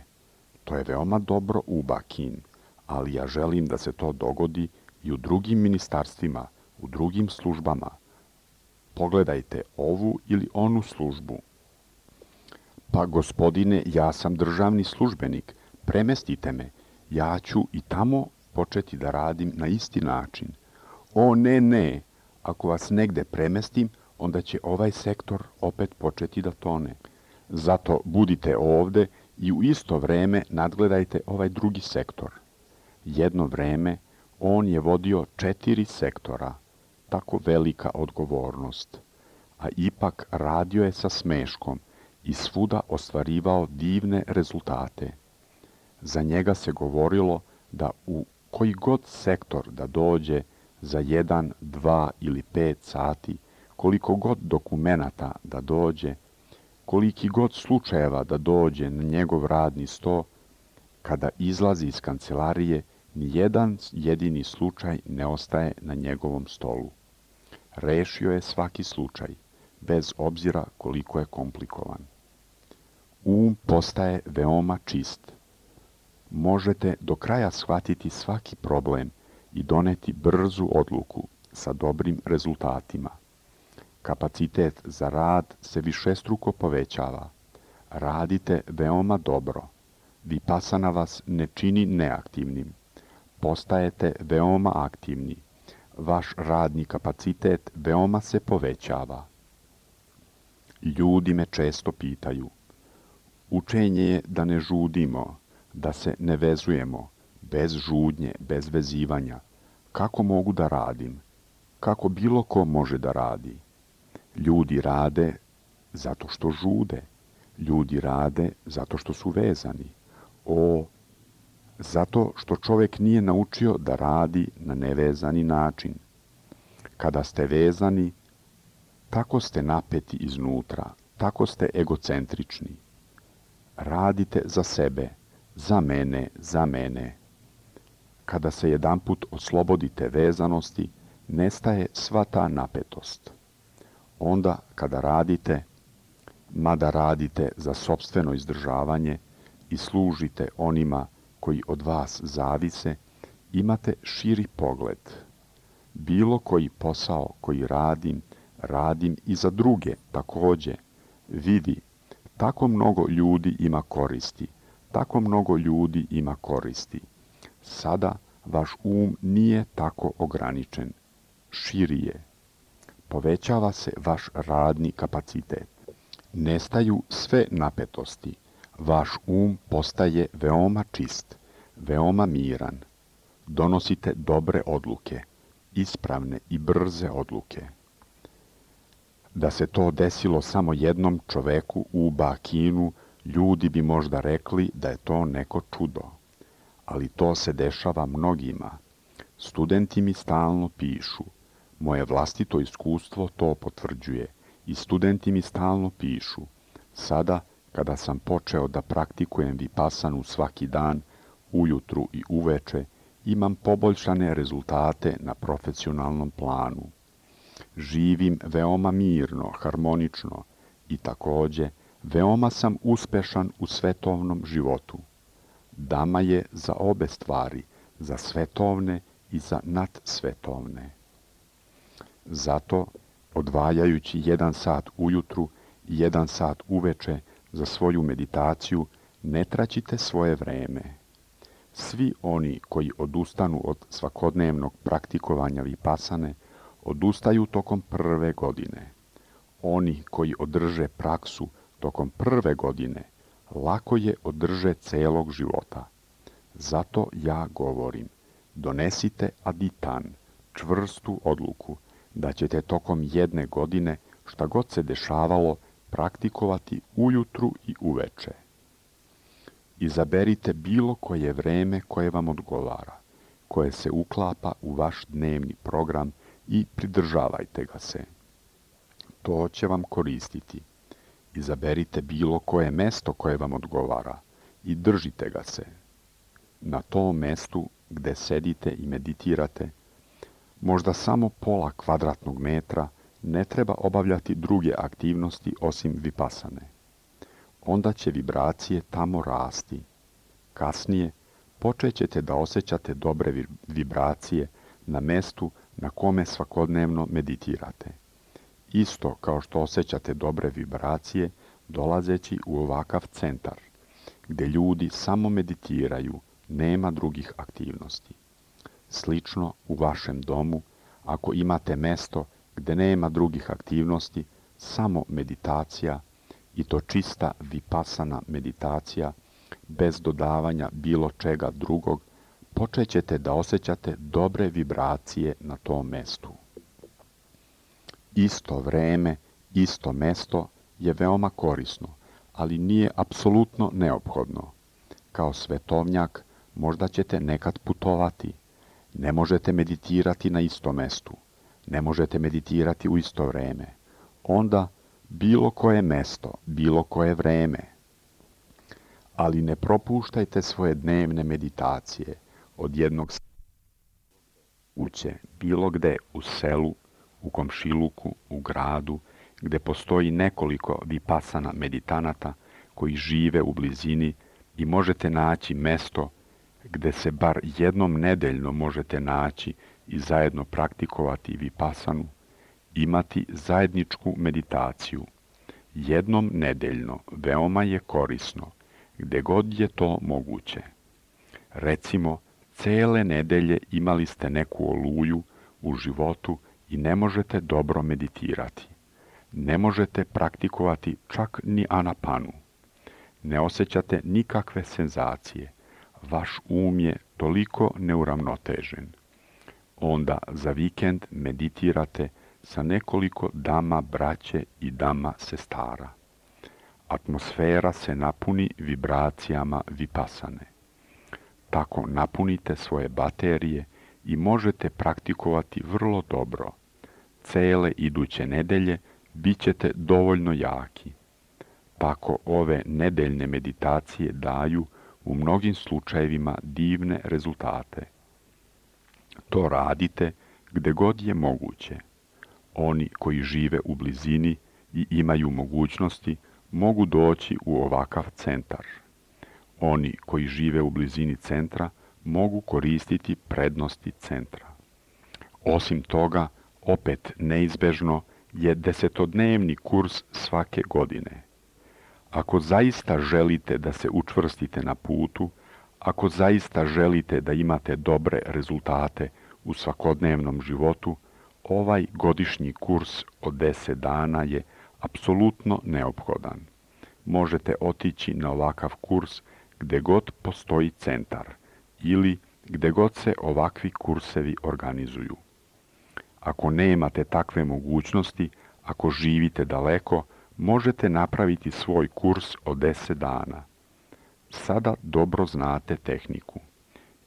To je veoma dobro, Uba Kin, ali ja želim da se to dogodi i u drugim ministarstvima, u drugim službama. Pogledajte ovu ili onu službu. Pa gospodine, ja sam državni službenik, premestite me, ja ću i tamo početi da radim na isti način. O ne, ako vas negde premestim, onda će ovaj sektor opet početi da tone. Zato budite ovde i u isto vreme nadgledajte ovaj drugi sektor. Jedno vreme on je vodio 4 sektora, tako velika odgovornost, a ipak radio je sa smeškom i svuda ostvarivao divne rezultate. Za njega se govorilo da u koji god sektor da dođe za 1, 2 ili 5 sati, koliko god dokumenata da dođe, koliki god slučajeva da dođe na njegov radni sto, kada izlazi iz kancelarije, ni jedan jedini slučaj ne ostaje na njegovom stolu. Rešio je svaki slučaj, bez obzira koliko je komplikovan. Postaje veoma čist. Možete do kraja shvatiti svaki problem i doneti brzu odluku sa dobrim rezultatima. Kapacitet za rad se višestruko povećava. Radite veoma dobro. Vipasana vas ne čini neaktivnim. Postajete veoma aktivni. Vaš radni kapacitet veoma se povećava. Ljudi me često pitaju. Učenje je da ne žudimo, da se ne vezujemo, bez žudnje, bez vezivanja. Kako mogu da radim? Kako bilo ko može da radi? Ljudi rade zato što žude. Ljudi rade zato što su vezani. Zato što čovjek nije naučio da radi na nevezani način. Kada ste vezani, tako ste napeti iznutra, tako ste egocentrični. Radite za sebe, za mene. Kada se jedanput oslobodite vezanosti, nestaje sva ta napetost. Onda kada radite, mada radite za sopstveno izdržavanje i služite onima koji od vas zavise, imate širi pogled. Bilo koji posao koji radim i za druge također. Vidi, tako mnogo ljudi ima koristi. Sada vaš nije tako ograničen. Širi je. Povećava se vaš radni kapacitet. Nestaju sve napetosti. Vaš postaje veoma čist, veoma miran. Donosite dobre odluke, ispravne i brze odluke. Da se to desilo samo jednom čoveku u Bakinu, ljudi bi možda rekli da je to neko čudo. Ali to se dešava mnogima. Studenti mi stalno pišu. Moje vlastito iskustvo to potvrđuje. I studenti mi stalno pišu. Sada, kada sam počeo da praktikujem Vipasanu svaki dan, ujutru i uveče, imam poboljšane rezultate na profesionalnom planu. Živim veoma mirno, harmonično i također veoma sam uspešan u svetovnom životu. Dhamma je za obe stvari, za svetovne i za nadsvetovne. Zato, odvajajući 1 sat ujutru i 1 sat uveče za svoju meditaciju, ne traćite svoje vreme. Svi oni koji odustanu od svakodnevnog praktikovanja vipasane, odustaju tokom prve godine. Oni koji održe praksu tokom prve godine, lako je održe celog života. Zato ja govorim, donesite aditan, čvrstu odluku, da ćete tokom jedne godine, šta god se dešavalo, praktikovati ujutru i uveče. Izaberite bilo koje vreme koje vam odgovara, koje se uklapa u vaš dnevni program i pridržavajte ga se. To će vam koristiti. Izaberite bilo koje mesto koje vam odgovara i držite ga se. Na tom mestu gde sedite i meditirate, možda samo pola kvadratnog metra, ne treba obavljati druge aktivnosti osim vipasane. Onda će vibracije tamo rasti. Kasnije počet ćete da osjećate dobre vibracije na mestu na kome svakodnevno meditirate. Isto kao što osjećate dobre vibracije dolazeći u ovakav centar, gde ljudi samo meditiraju, nema drugih aktivnosti. Slično u vašem domu, ako imate mesto gde nema drugih aktivnosti, samo meditacija, i to čista vipasana meditacija, bez dodavanja bilo čega drugog, počet ćete da osjećate dobre vibracije na tom mestu. Isto vreme, isto mesto je veoma korisno, ali nije apsolutno neophodno. Kao svetovnjak možda ćete nekad putovati. Ne možete meditirati na istom mestu. Ne možete meditirati u isto vreme. Onda bilo koje mesto, bilo koje vreme. Ali ne propuštajte svoje dnevne meditacije od jednog kuće, bilo gde, u selu, u komšiluku, u gradu, gde postoji nekoliko vipasana meditanata koji žive u blizini i možete naći mesto gde se bar jednom nedeljno možete naći i zajedno praktikovati vipasanu, imati zajedničku meditaciju. Jednom nedeljno veoma je korisno, gde god je to moguće. Recimo, cele nedelje imali ste neku oluju u životu i ne možete dobro meditirati. Ne možete praktikovati čak ni anapanu. Ne osjećate nikakve senzacije. Vaš um je toliko neuravnotežen. Onda za vikend meditirate sa nekoliko dama braće i dama sestara. Atmosfera se napuni vibracijama vipasane. Tako napunite svoje baterije i možete praktikovati vrlo dobro. Cele iduće nedelje bit ćete dovoljno jaki. Tako ove nedeljne meditacije daju u mnogim slučajevima divne rezultate. To radite gde god je moguće. Oni koji žive u blizini i imaju mogućnosti mogu doći u ovakav centar. Oni koji žive u blizini centra mogu koristiti prednosti centra. Osim toga, opet neizbežno je 10-dnevni kurs svake godine. Ako zaista želite da se učvrstite na putu, ako zaista želite da imate dobre rezultate u svakodnevnom životu, ovaj godišnji kurs od 10 dana je apsolutno neophodan. Možete otići na ovakav kurs gde god postoji centar ili gde god se ovakvi kursevi organizuju. Ako nemate takve mogućnosti, ako živite daleko, možete napraviti svoj kurs od 10 dana. Sada dobro znate tehniku.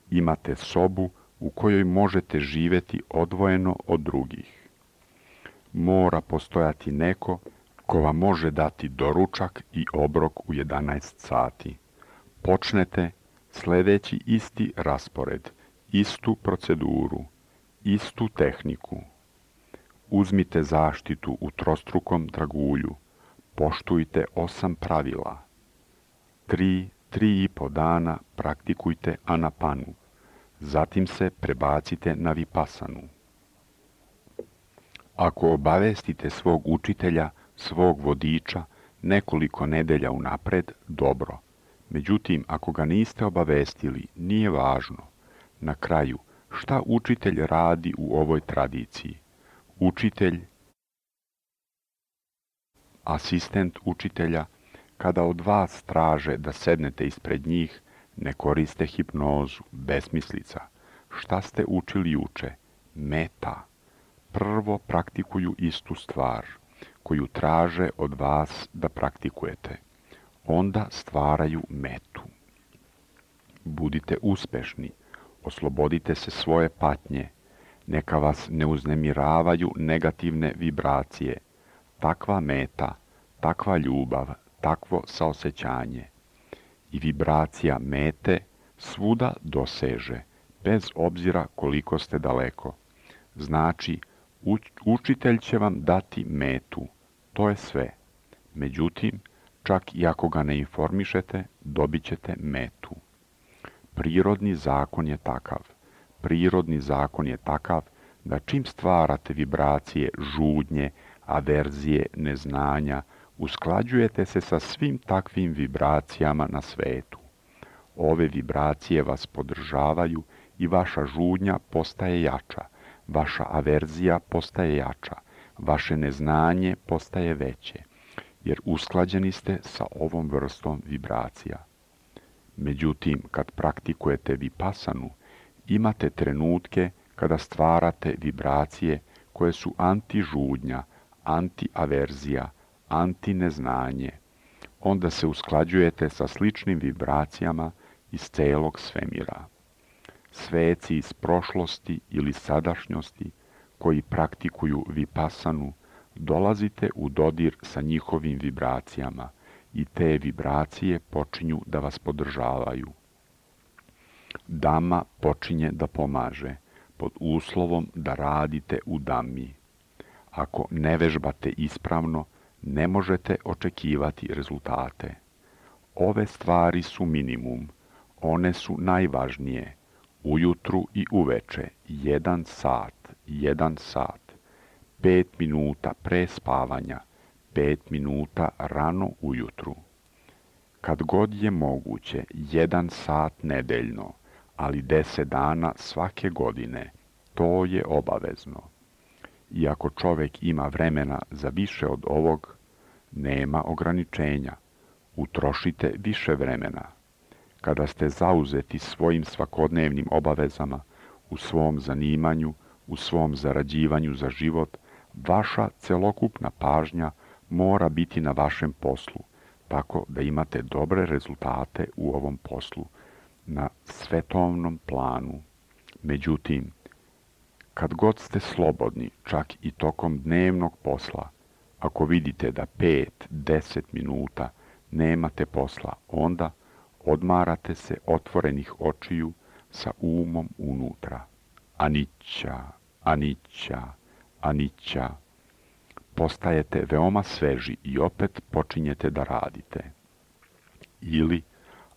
Imate sobu u kojoj možete živeti odvojeno od drugih. Mora postojati neko ko vam može dati doručak i obrok u 11 sati. Počnete sledeći isti raspored, istu proceduru, istu tehniku. Uzmite zaštitu u trostrukom dragulju. Poštujte 8 pravila. 3,5 dana praktikujte anapanu. Zatim se prebacite na vipasanu. Ako obavestite svog učitelja, svog vodiča, nekoliko nedelja unapred, dobro. Međutim, ako ga niste obavestili, nije važno. Na kraju, šta učitelj radi u ovoj tradiciji? Učitelj, asistent učitelja, kada od vas traže da sednete ispred njih, ne koriste hipnozu, besmislica. Šta ste učili juče? Meta. Prvo praktikuju istu stvar, koju traže od vas da praktikujete. Onda stvaraju metu. Budite uspešni, oslobodite se svoje patnje, neka vas ne uznemiravaju negativne vibracije. Takva meta, takva ljubav, takvo saosećanje. I vibracija mete svuda doseže, bez obzira koliko ste daleko. Znači, učitelj će vam dati metu, to je sve. Međutim, čak i ako ga ne informišete, dobit ćete metu. Prirodni zakon je takav. Prirodni zakon je takav da čim stvarate vibracije žudnje, averzije, neznanja, usklađujete se sa svim takvim vibracijama na svetu. Ove vibracije vas podržavaju i vaša žudnja postaje jača, vaša averzija postaje jača, vaše neznanje postaje veće, jer usklađeni ste sa ovom vrstom vibracija. Međutim, kad praktikujete vipasanu, imate trenutke kada stvarate vibracije koje su anti-žudnja, anti-averzija, anti-neznanje. Onda se usklađujete sa sličnim vibracijama iz celog svemira. Sveci iz prošlosti ili sadašnjosti koji praktikuju vipasanu, dolazite u dodir sa njihovim vibracijama i te vibracije počinju da vas podržavaju. Dama počinje da pomaže, pod uslovom da radite u dami. Ako ne vežbate ispravno, ne možete očekivati rezultate. Ove stvari su minimum, one su najvažnije. Ujutru i uveče, 1 sat, 5 minuta pre spavanja, 5 minuta rano ujutru. Kad god je moguće, 1 sat nedeljno, ali 10 dana svake godine, to je obavezno. I ako čovjek ima vremena za više od ovog, nema ograničenja. Utrošite više vremena. Kada ste zauzeti svojim svakodnevnim obavezama, u svom zanimanju, u svom zarađivanju za život, vaša celokupna pažnja mora biti na vašem poslu, tako da imate dobre rezultate u ovom poslu, na svetovnom planu. Međutim, kad god ste slobodni, čak i tokom dnevnog posla, ako vidite da 5-10 minuta nemate posla, onda odmarate se otvorenih očiju sa umom unutra. Anicca, anicca, anicca. Postajete veoma sveži i opet počinjete da radite. Ili,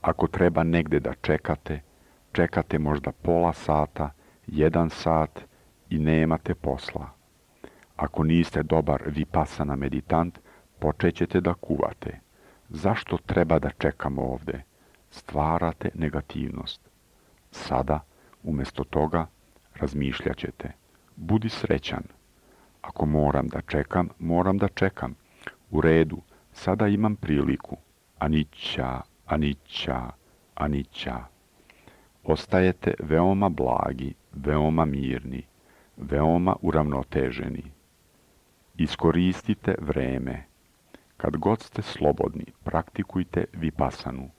ako treba negde da čekate, čekate možda pola sata, 1 sat i nemate posla. Ako niste dobar vipasana meditant, počećete da kuvate. Zašto treba da čekamo ovde? Stvarate negativnost. Sada, umjesto toga, razmišljat ćete. Budi srećan. Ako moram da čekam, moram da čekam. U redu, sada imam priliku. Anicca, anicca, anicca. Ostajete veoma blagi, veoma mirni, veoma uravnoteženi. Iskoristite vreme. Kad god ste slobodni, praktikujte vipasanu.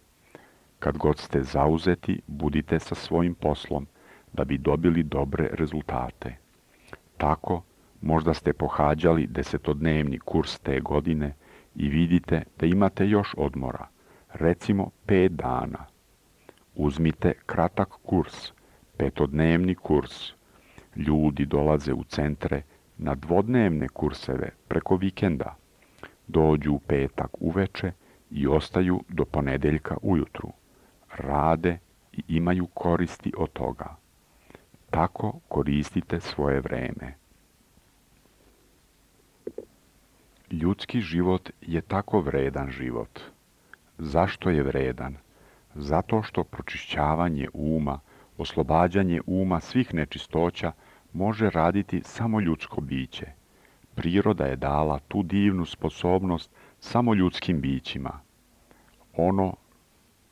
Kad god ste zauzeti, budite sa svojim poslom, da bi dobili dobre rezultate. Tako, možda ste pohađali 10-dnevni kurs te godine i vidite da imate još odmora, recimo 5 dana. Uzmite kratak kurs, 5-dnevni kurs. Ljudi dolaze u centre na 2-dnevne kurseve preko vikenda. Dođu u petak uveče i ostaju do ponedeljka ujutru. Rade i imaju koristi od toga. Tako koristite svoje vreme. Ljudski život je tako vredan život. Zašto je vredan? Zato što pročišćavanje uma, oslobađanje uma svih nečistoća može raditi samo ljudsko biće. Priroda je dala tu divnu sposobnost samo ljudskim bićima. Ono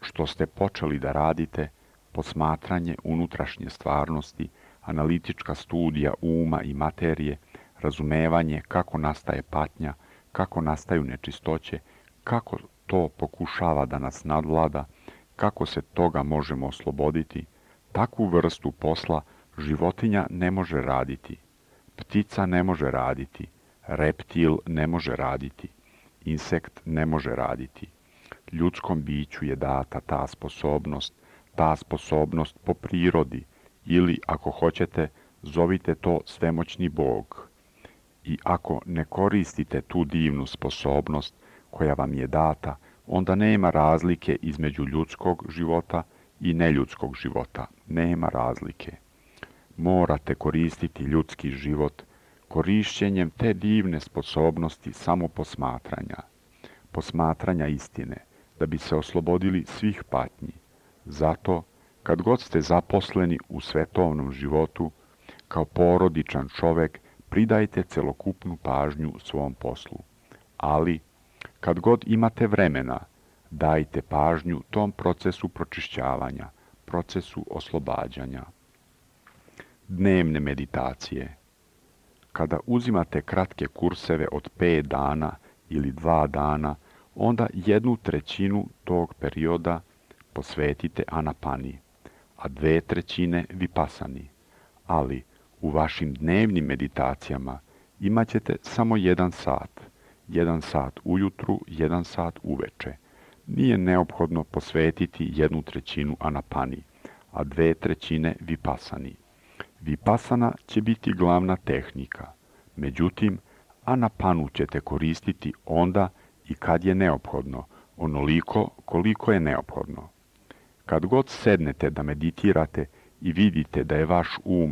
što ste počeli da radite, posmatranje unutrašnje stvarnosti, analitička studija uma i materije, razumevanje kako nastaje patnja, kako nastaju nečistoće, kako to pokušava da nas nadvlada, kako se toga možemo osloboditi, takvu vrstu posla životinja ne može raditi, ptica ne može raditi, reptil ne može raditi, insekt ne može raditi. Ljudskom biću je data ta sposobnost po prirodi, ili, ako hoćete, zovite to svemoćni Bog. I ako ne koristite tu divnu sposobnost koja vam je data, onda nema razlike između ljudskog života i neljudskog života. Nema razlike. Morate koristiti ljudski život korišćenjem te divne sposobnosti samo posmatranja istine, da bi se oslobodili svih patnji. Zato, kad god ste zaposleni u svetovnom životu, kao porodičan čovek, pridajte celokupnu pažnju svom poslu. Ali, kad god imate vremena, dajte pažnju tom procesu pročišćavanja, procesu oslobađanja. Dnevne meditacije. Kada uzimate kratke kurseve od 5 dana ili 2 dana, onda 1/3 tog perioda posvetite anapani, a 2/3 vipasani. Ali u vašim dnevnim meditacijama imat ćete samo 1 sat. 1 sat ujutru, 1 sat uveče. Nije neophodno posvetiti 1/3 anapani, a 2/3 vipasani. Vipasana će biti glavna tehnika. Međutim, anapanu ćete koristiti onda i kad je neophodno, onoliko koliko je neophodno. Kad god sednete da meditirate i vidite da je vaš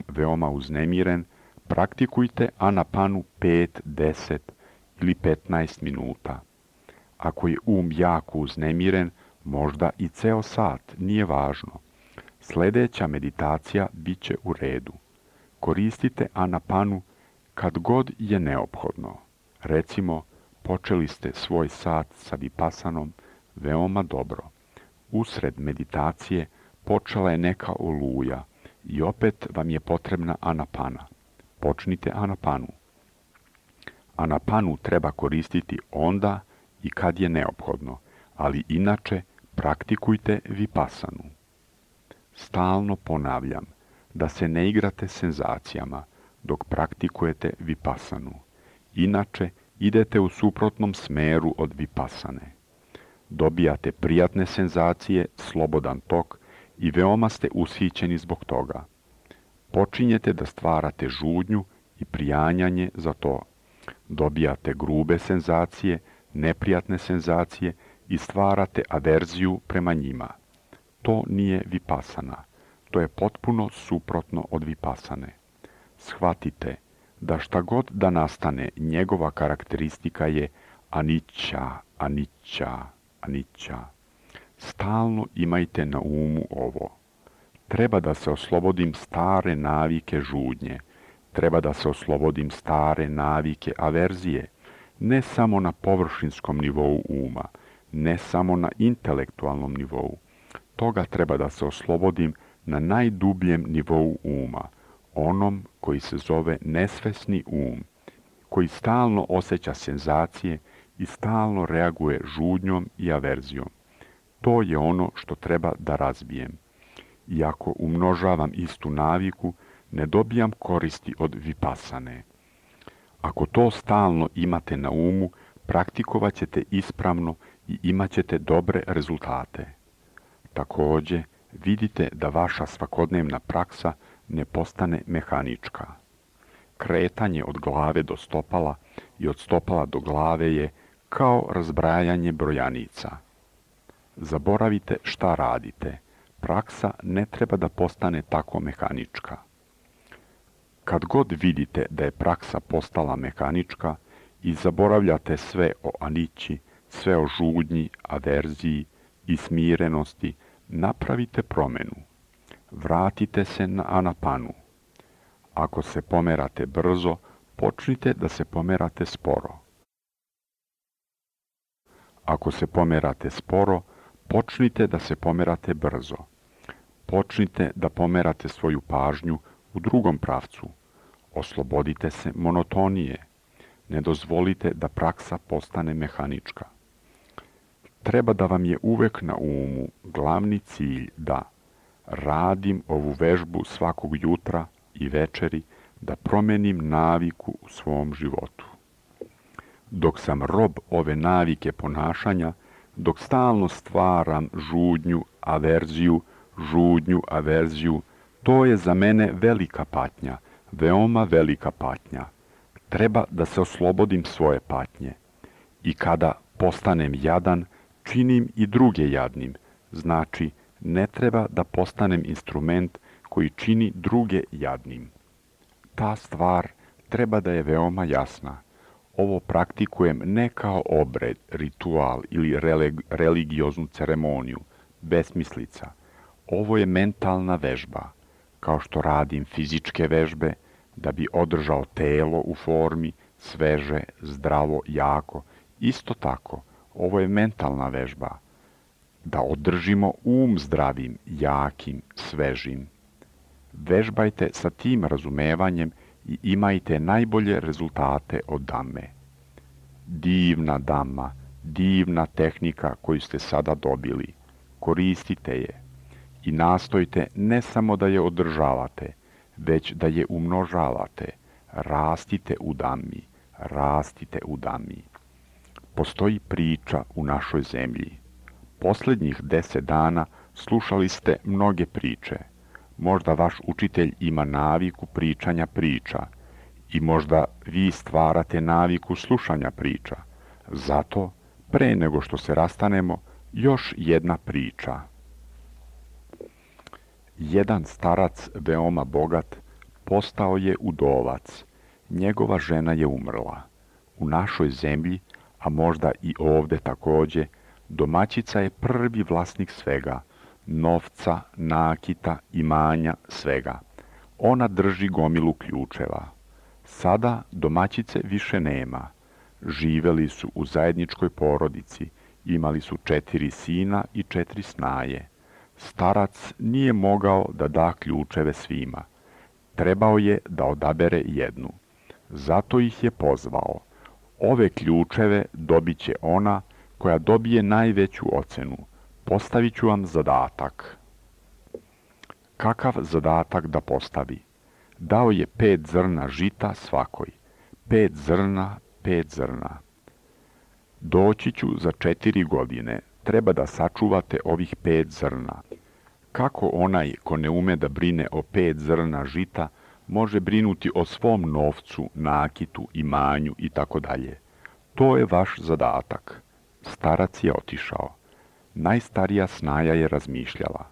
veoma uznemiren, praktikujte anapanu 5, 10 ili 15 minuta. Ako je jako uznemiren, možda i ceo sat, nije važno. Sljedeća meditacija bit će u redu. Koristite anapanu kad god je neophodno. Recimo, počeli ste svoj sat sa vipasanom veoma dobro. Usred meditacije počela je neka oluja i opet vam je potrebna anapana. Počnite anapanu. Anapanu treba koristiti onda i kad je neophodno, ali inače praktikujte vipasanu. Stalno ponavljam da se ne igrate senzacijama dok praktikujete vipasanu. Inače, idete u suprotnom smeru od vipasane. Dobijate prijatne senzacije, slobodan tok i veoma ste ushićeni zbog toga. Počinjete da stvarate žudnju i prijanjanje za to. Dobijate grube senzacije, neprijatne senzacije i stvarate averziju prema njima. To nije vipasana. To je potpuno suprotno od vipasane. Shvatite da šta god da nastane, njegova karakteristika je anicca, anicca, anicca. Stalno imajte na umu ovo. Treba da se oslobodim stare navike žudnje. Treba da se oslobodim stare navike averzije. Ne samo na površinskom nivou uma, ne samo na intelektualnom nivou. Toga treba da se oslobodim na najdubljem nivou uma, onom koji se zove nesvesni koji stalno osjeća senzacije i stalno reaguje žudnjom i averzijom. To je ono što treba da razbijem. I ako umnožavam istu naviku, ne dobijam koristi od vipasane. Ako to stalno imate na umu, praktikovat ćete ispravno i imat ćete dobre rezultate. Također, vidite da vaša svakodnevna praksa ne postane mehanička. Kretanje od glave do stopala i od stopala do glave je kao razbrajanje brojanica. Zaboravite šta radite. Praksa ne treba da postane tako mehanička. Kad god vidite da je praksa postala mehanička i zaboravljate sve o anići, sve o žudnji, averziji i smirenosti, Napravite promjenu. Vratite se na anapanu. Ako se pomerate brzo, počnite da se pomerate sporo. Ako se pomerate sporo, počnite da se pomerate brzo. Počnite da pomerate svoju pažnju u drugom pravcu. Oslobodite se monotonije. Ne dozvolite da praksa postane mehanička. Treba da vam je uvek na umu glavni cilj da radim ovu vežbu svakog jutra i večeri, da promenim naviku u svom životu. Dok sam rob ove navike ponašanja, dok stalno stvaram žudnju, averziju, to je za mene velika patnja, veoma velika patnja. Treba da se oslobodim svoje patnje. I kada postanem jadan, činim i druge jadnim. Znači, ne treba da postanem instrument koji čini druge jadnim. Ta stvar treba da je veoma jasna. Ovo praktikujem ne kao obred, ritual ili religioznu ceremoniju, besmislica. Ovo je mentalna vežba, kao što radim fizičke vežbe, da bi održao telo u formi, sveže, zdravo, jako. Isto tako, ovo je mentalna vežba, da održimo zdravim, jakim, svežim. Vežbajte sa tim razumevanjem i imajte najbolje rezultate od dame. Divna dama, divna tehnika koju ste sada dobili. Koristite je i nastojte ne samo da je održavate, već da je umnožavate. Rastite u dami. Postoji priča u našoj zemlji. Posljednjih 10 dana slušali ste mnoge priče. Možda vaš učitelj ima naviku pričanja priča i možda vi stvarate naviku slušanja priča. Zato, pre nego što se rastanemo, još jedna priča. Jedan starac, veoma bogat, postao je udovac. Njegova žena je umrla. U našoj zemlji, a možda i ovde takođe, domaćica je prvi vlasnik svega, novca, nakita, imanja, svega. Ona drži gomilu ključeva. Sada domaćice više nema. Živeli su u zajedničkoj porodici, imali su 4 sina i 4 snaje. Starac nije mogao da da ključeve svima. Trebao je da odabere jednu. Zato ih je pozvao. Ove ključeve dobit će ona koja dobije najveću ocenu. Postavit ću vam zadatak. Kakav zadatak da postavi? Dao je 5 zrna žita svakoj. 5 zrna. Doći ću za 4 godine. Treba da sačuvate ovih 5 zrna. Kako onaj ko ne ume da brine o 5 zrna žita, može brinuti o svom novcu, nakitu, imanju itd. To je vaš zadatak. Starac je otišao. Najstarija snaja je razmišljala.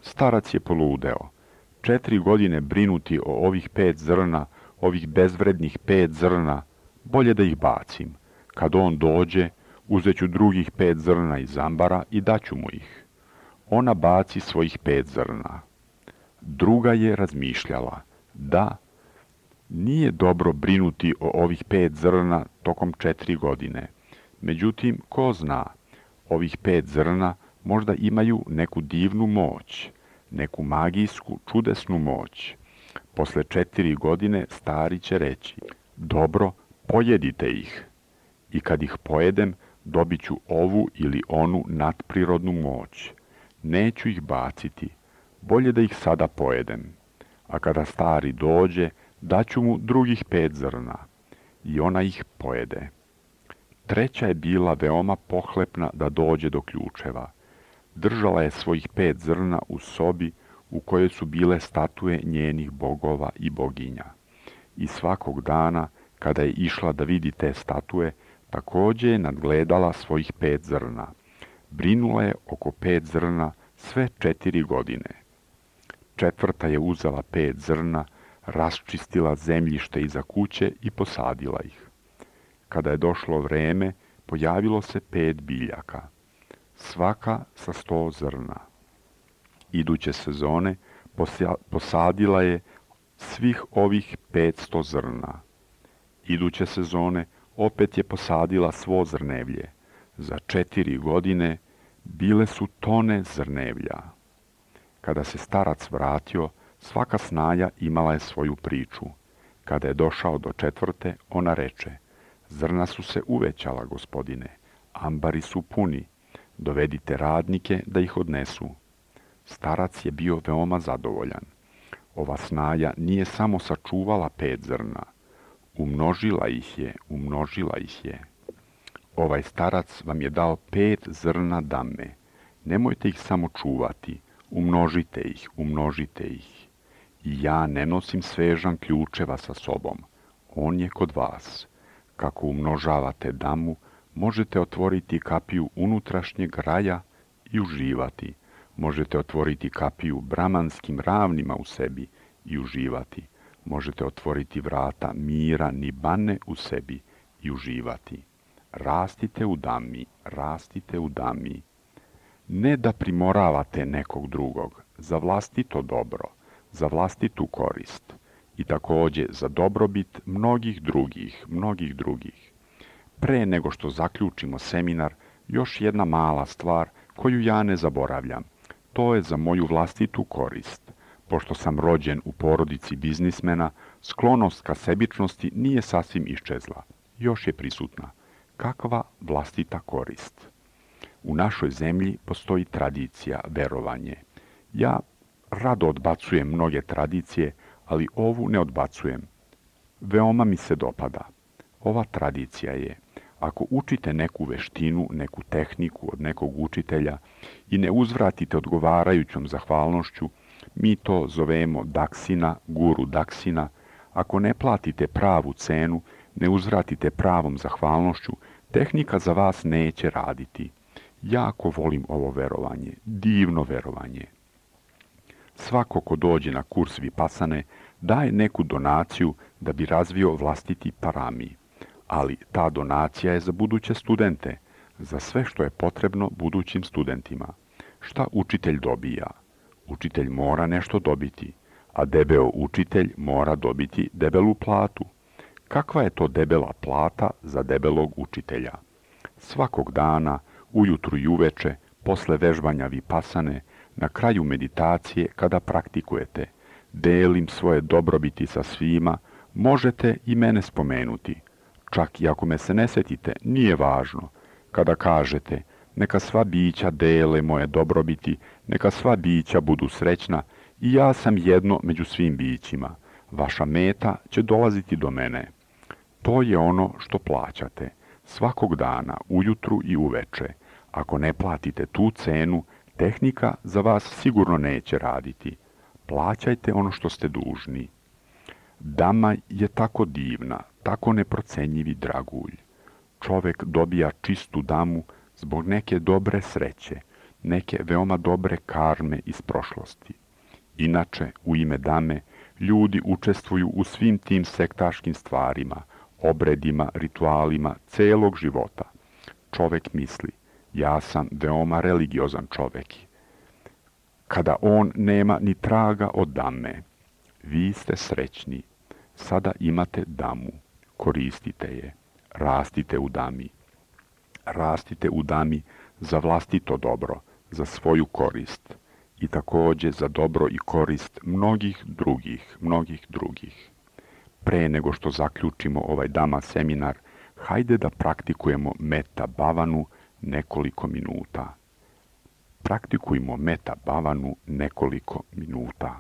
Starac je poludeo. 4 godine brinuti o ovih 5 zrna, ovih bezvrednih 5 zrna, bolje da ih bacim. Kad on dođe, uzet ću drugih 5 zrna iz ambara i daću mu ih. Ona baci svojih 5 zrna. Druga je razmišljala. Da, nije dobro brinuti o ovih 5 zrna tokom 4 godine. Međutim, ko zna, ovih 5 zrna možda imaju neku divnu moć, neku magijsku, čudesnu moć. Posle 4 godine stari će reći, dobro, pojedite ih. I kad ih pojedem, dobit ću ovu ili onu nadprirodnu moć. Neću ih baciti, bolje da ih sada pojedem. A kada stari dođe, daću mu drugih 5 zrna. I ona ih pojede. Treća je bila veoma pohlepna da dođe do ključeva. Držala je svojih 5 zrna u sobi u kojoj su bile statue njenih bogova i boginja. I svakog dana, kada je išla da vidi te statue, takođe je nadgledala svojih 5 zrna. Brinula je oko 5 zrna sve 4 godine. Četvrta je uzela 5 zrna, raščistila zemljište iza kuće i posadila ih. Kada je došlo vreme, pojavilo se 5 biljaka, svaka sa 100 zrna. Iduće sezone posadila je svih ovih 500 zrna. Iduće sezone opet je posadila svo zrnevlje. Za 4 godine bile su tone zrnevlja. Kada se starac vratio, svaka snaja imala je svoju priču. Kada je došao do 4., ona reče: zrna su se uvećala, gospodine, ambari su puni, dovedite radnike da ih odnesu. Starac je bio veoma zadovoljan. Ova snaja nije samo sačuvala 5 zrna, umnožila ih je. Ovaj starac vam je dao 5 zrna dame. Nemojte ih samo čuvati, umnožite ih. I ja ne nosim svežan ključeva sa sobom. On je kod vas. Kako umnožavate damu, možete otvoriti kapiju unutrašnjeg raja i uživati. Možete otvoriti kapiju bramanskim ravnima u sebi i uživati. Možete otvoriti vrata mira nibane u sebi i uživati. Rastite u dami. Ne da primoravate nekog drugog, za vlastito dobro, za vlastitu korist i također za dobrobit mnogih drugih. Pre nego što zaključimo seminar, još jedna mala stvar koju ja ne zaboravljam. To je za moju vlastitu korist. Pošto sam rođen u porodici biznismena, sklonost ka sebičnosti nije sasvim iščezla. Još je prisutna. Kakva vlastita korist? U našoj zemlji postoji tradicija, verovanje. Ja rado odbacujem mnoge tradicije, ali ovu ne odbacujem. Veoma mi se dopada. Ova tradicija je: ako učite neku veštinu, neku tehniku od nekog učitelja i ne uzvratite odgovarajućom zahvalnošću, mi to zovemo daksina, guru daksina. Ako ne platite pravu cenu, ne uzvratite pravom zahvalnošću, tehnika za vas neće raditi. Jako volim ovo verovanje, divno verovanje. Svako ko dođe na kurs Vipasane daje neku donaciju da bi razvio vlastiti parami. Ali ta donacija je za buduće studente, za sve što je potrebno budućim studentima. Šta učitelj dobija? Učitelj mora nešto dobiti, a debeo učitelj mora dobiti debelu platu. Kakva je to debela plata za debelog učitelja? Svakog dana, ujutru i uveče, posle vežbanja Vipasane, na kraju meditacije kada praktikujete, delim svoje dobrobiti sa svima, možete i mene spomenuti. Čak i ako me se ne setite, nije važno. Kada kažete: neka sva bića dele moje dobrobiti, neka sva bića budu srećna i ja sam jedno među svim bićima, vaša meta će dolaziti do mene. To je ono što plaćate, svakog dana, ujutru i uveče. Ako ne platite tu cenu, tehnika za vas sigurno neće raditi. Plaćajte ono što ste dužni. Dama je tako divna, tako neprocenjivi dragulj. Čovek dobija čistu damu zbog neke dobre sreće, neke veoma dobre karme iz prošlosti. Inače, u ime dame, ljudi učestvuju u svim tim sektaškim stvarima, obredima, ritualima celog života. Čovek misli: ja sam veoma religiozan čovek. Kada on nema ni traga od dame, vi ste srećni. Sada imate damu, koristite je, rastite u dami. Rastite u dami za vlastito dobro, za svoju korist i također za dobro i korist mnogih drugih. Pre nego što zaključimo ovaj dama seminar, hajde da praktikujemo meta bhavanu nekoliko minuta. Praktikujmo meta bhavanu nekoliko minuta.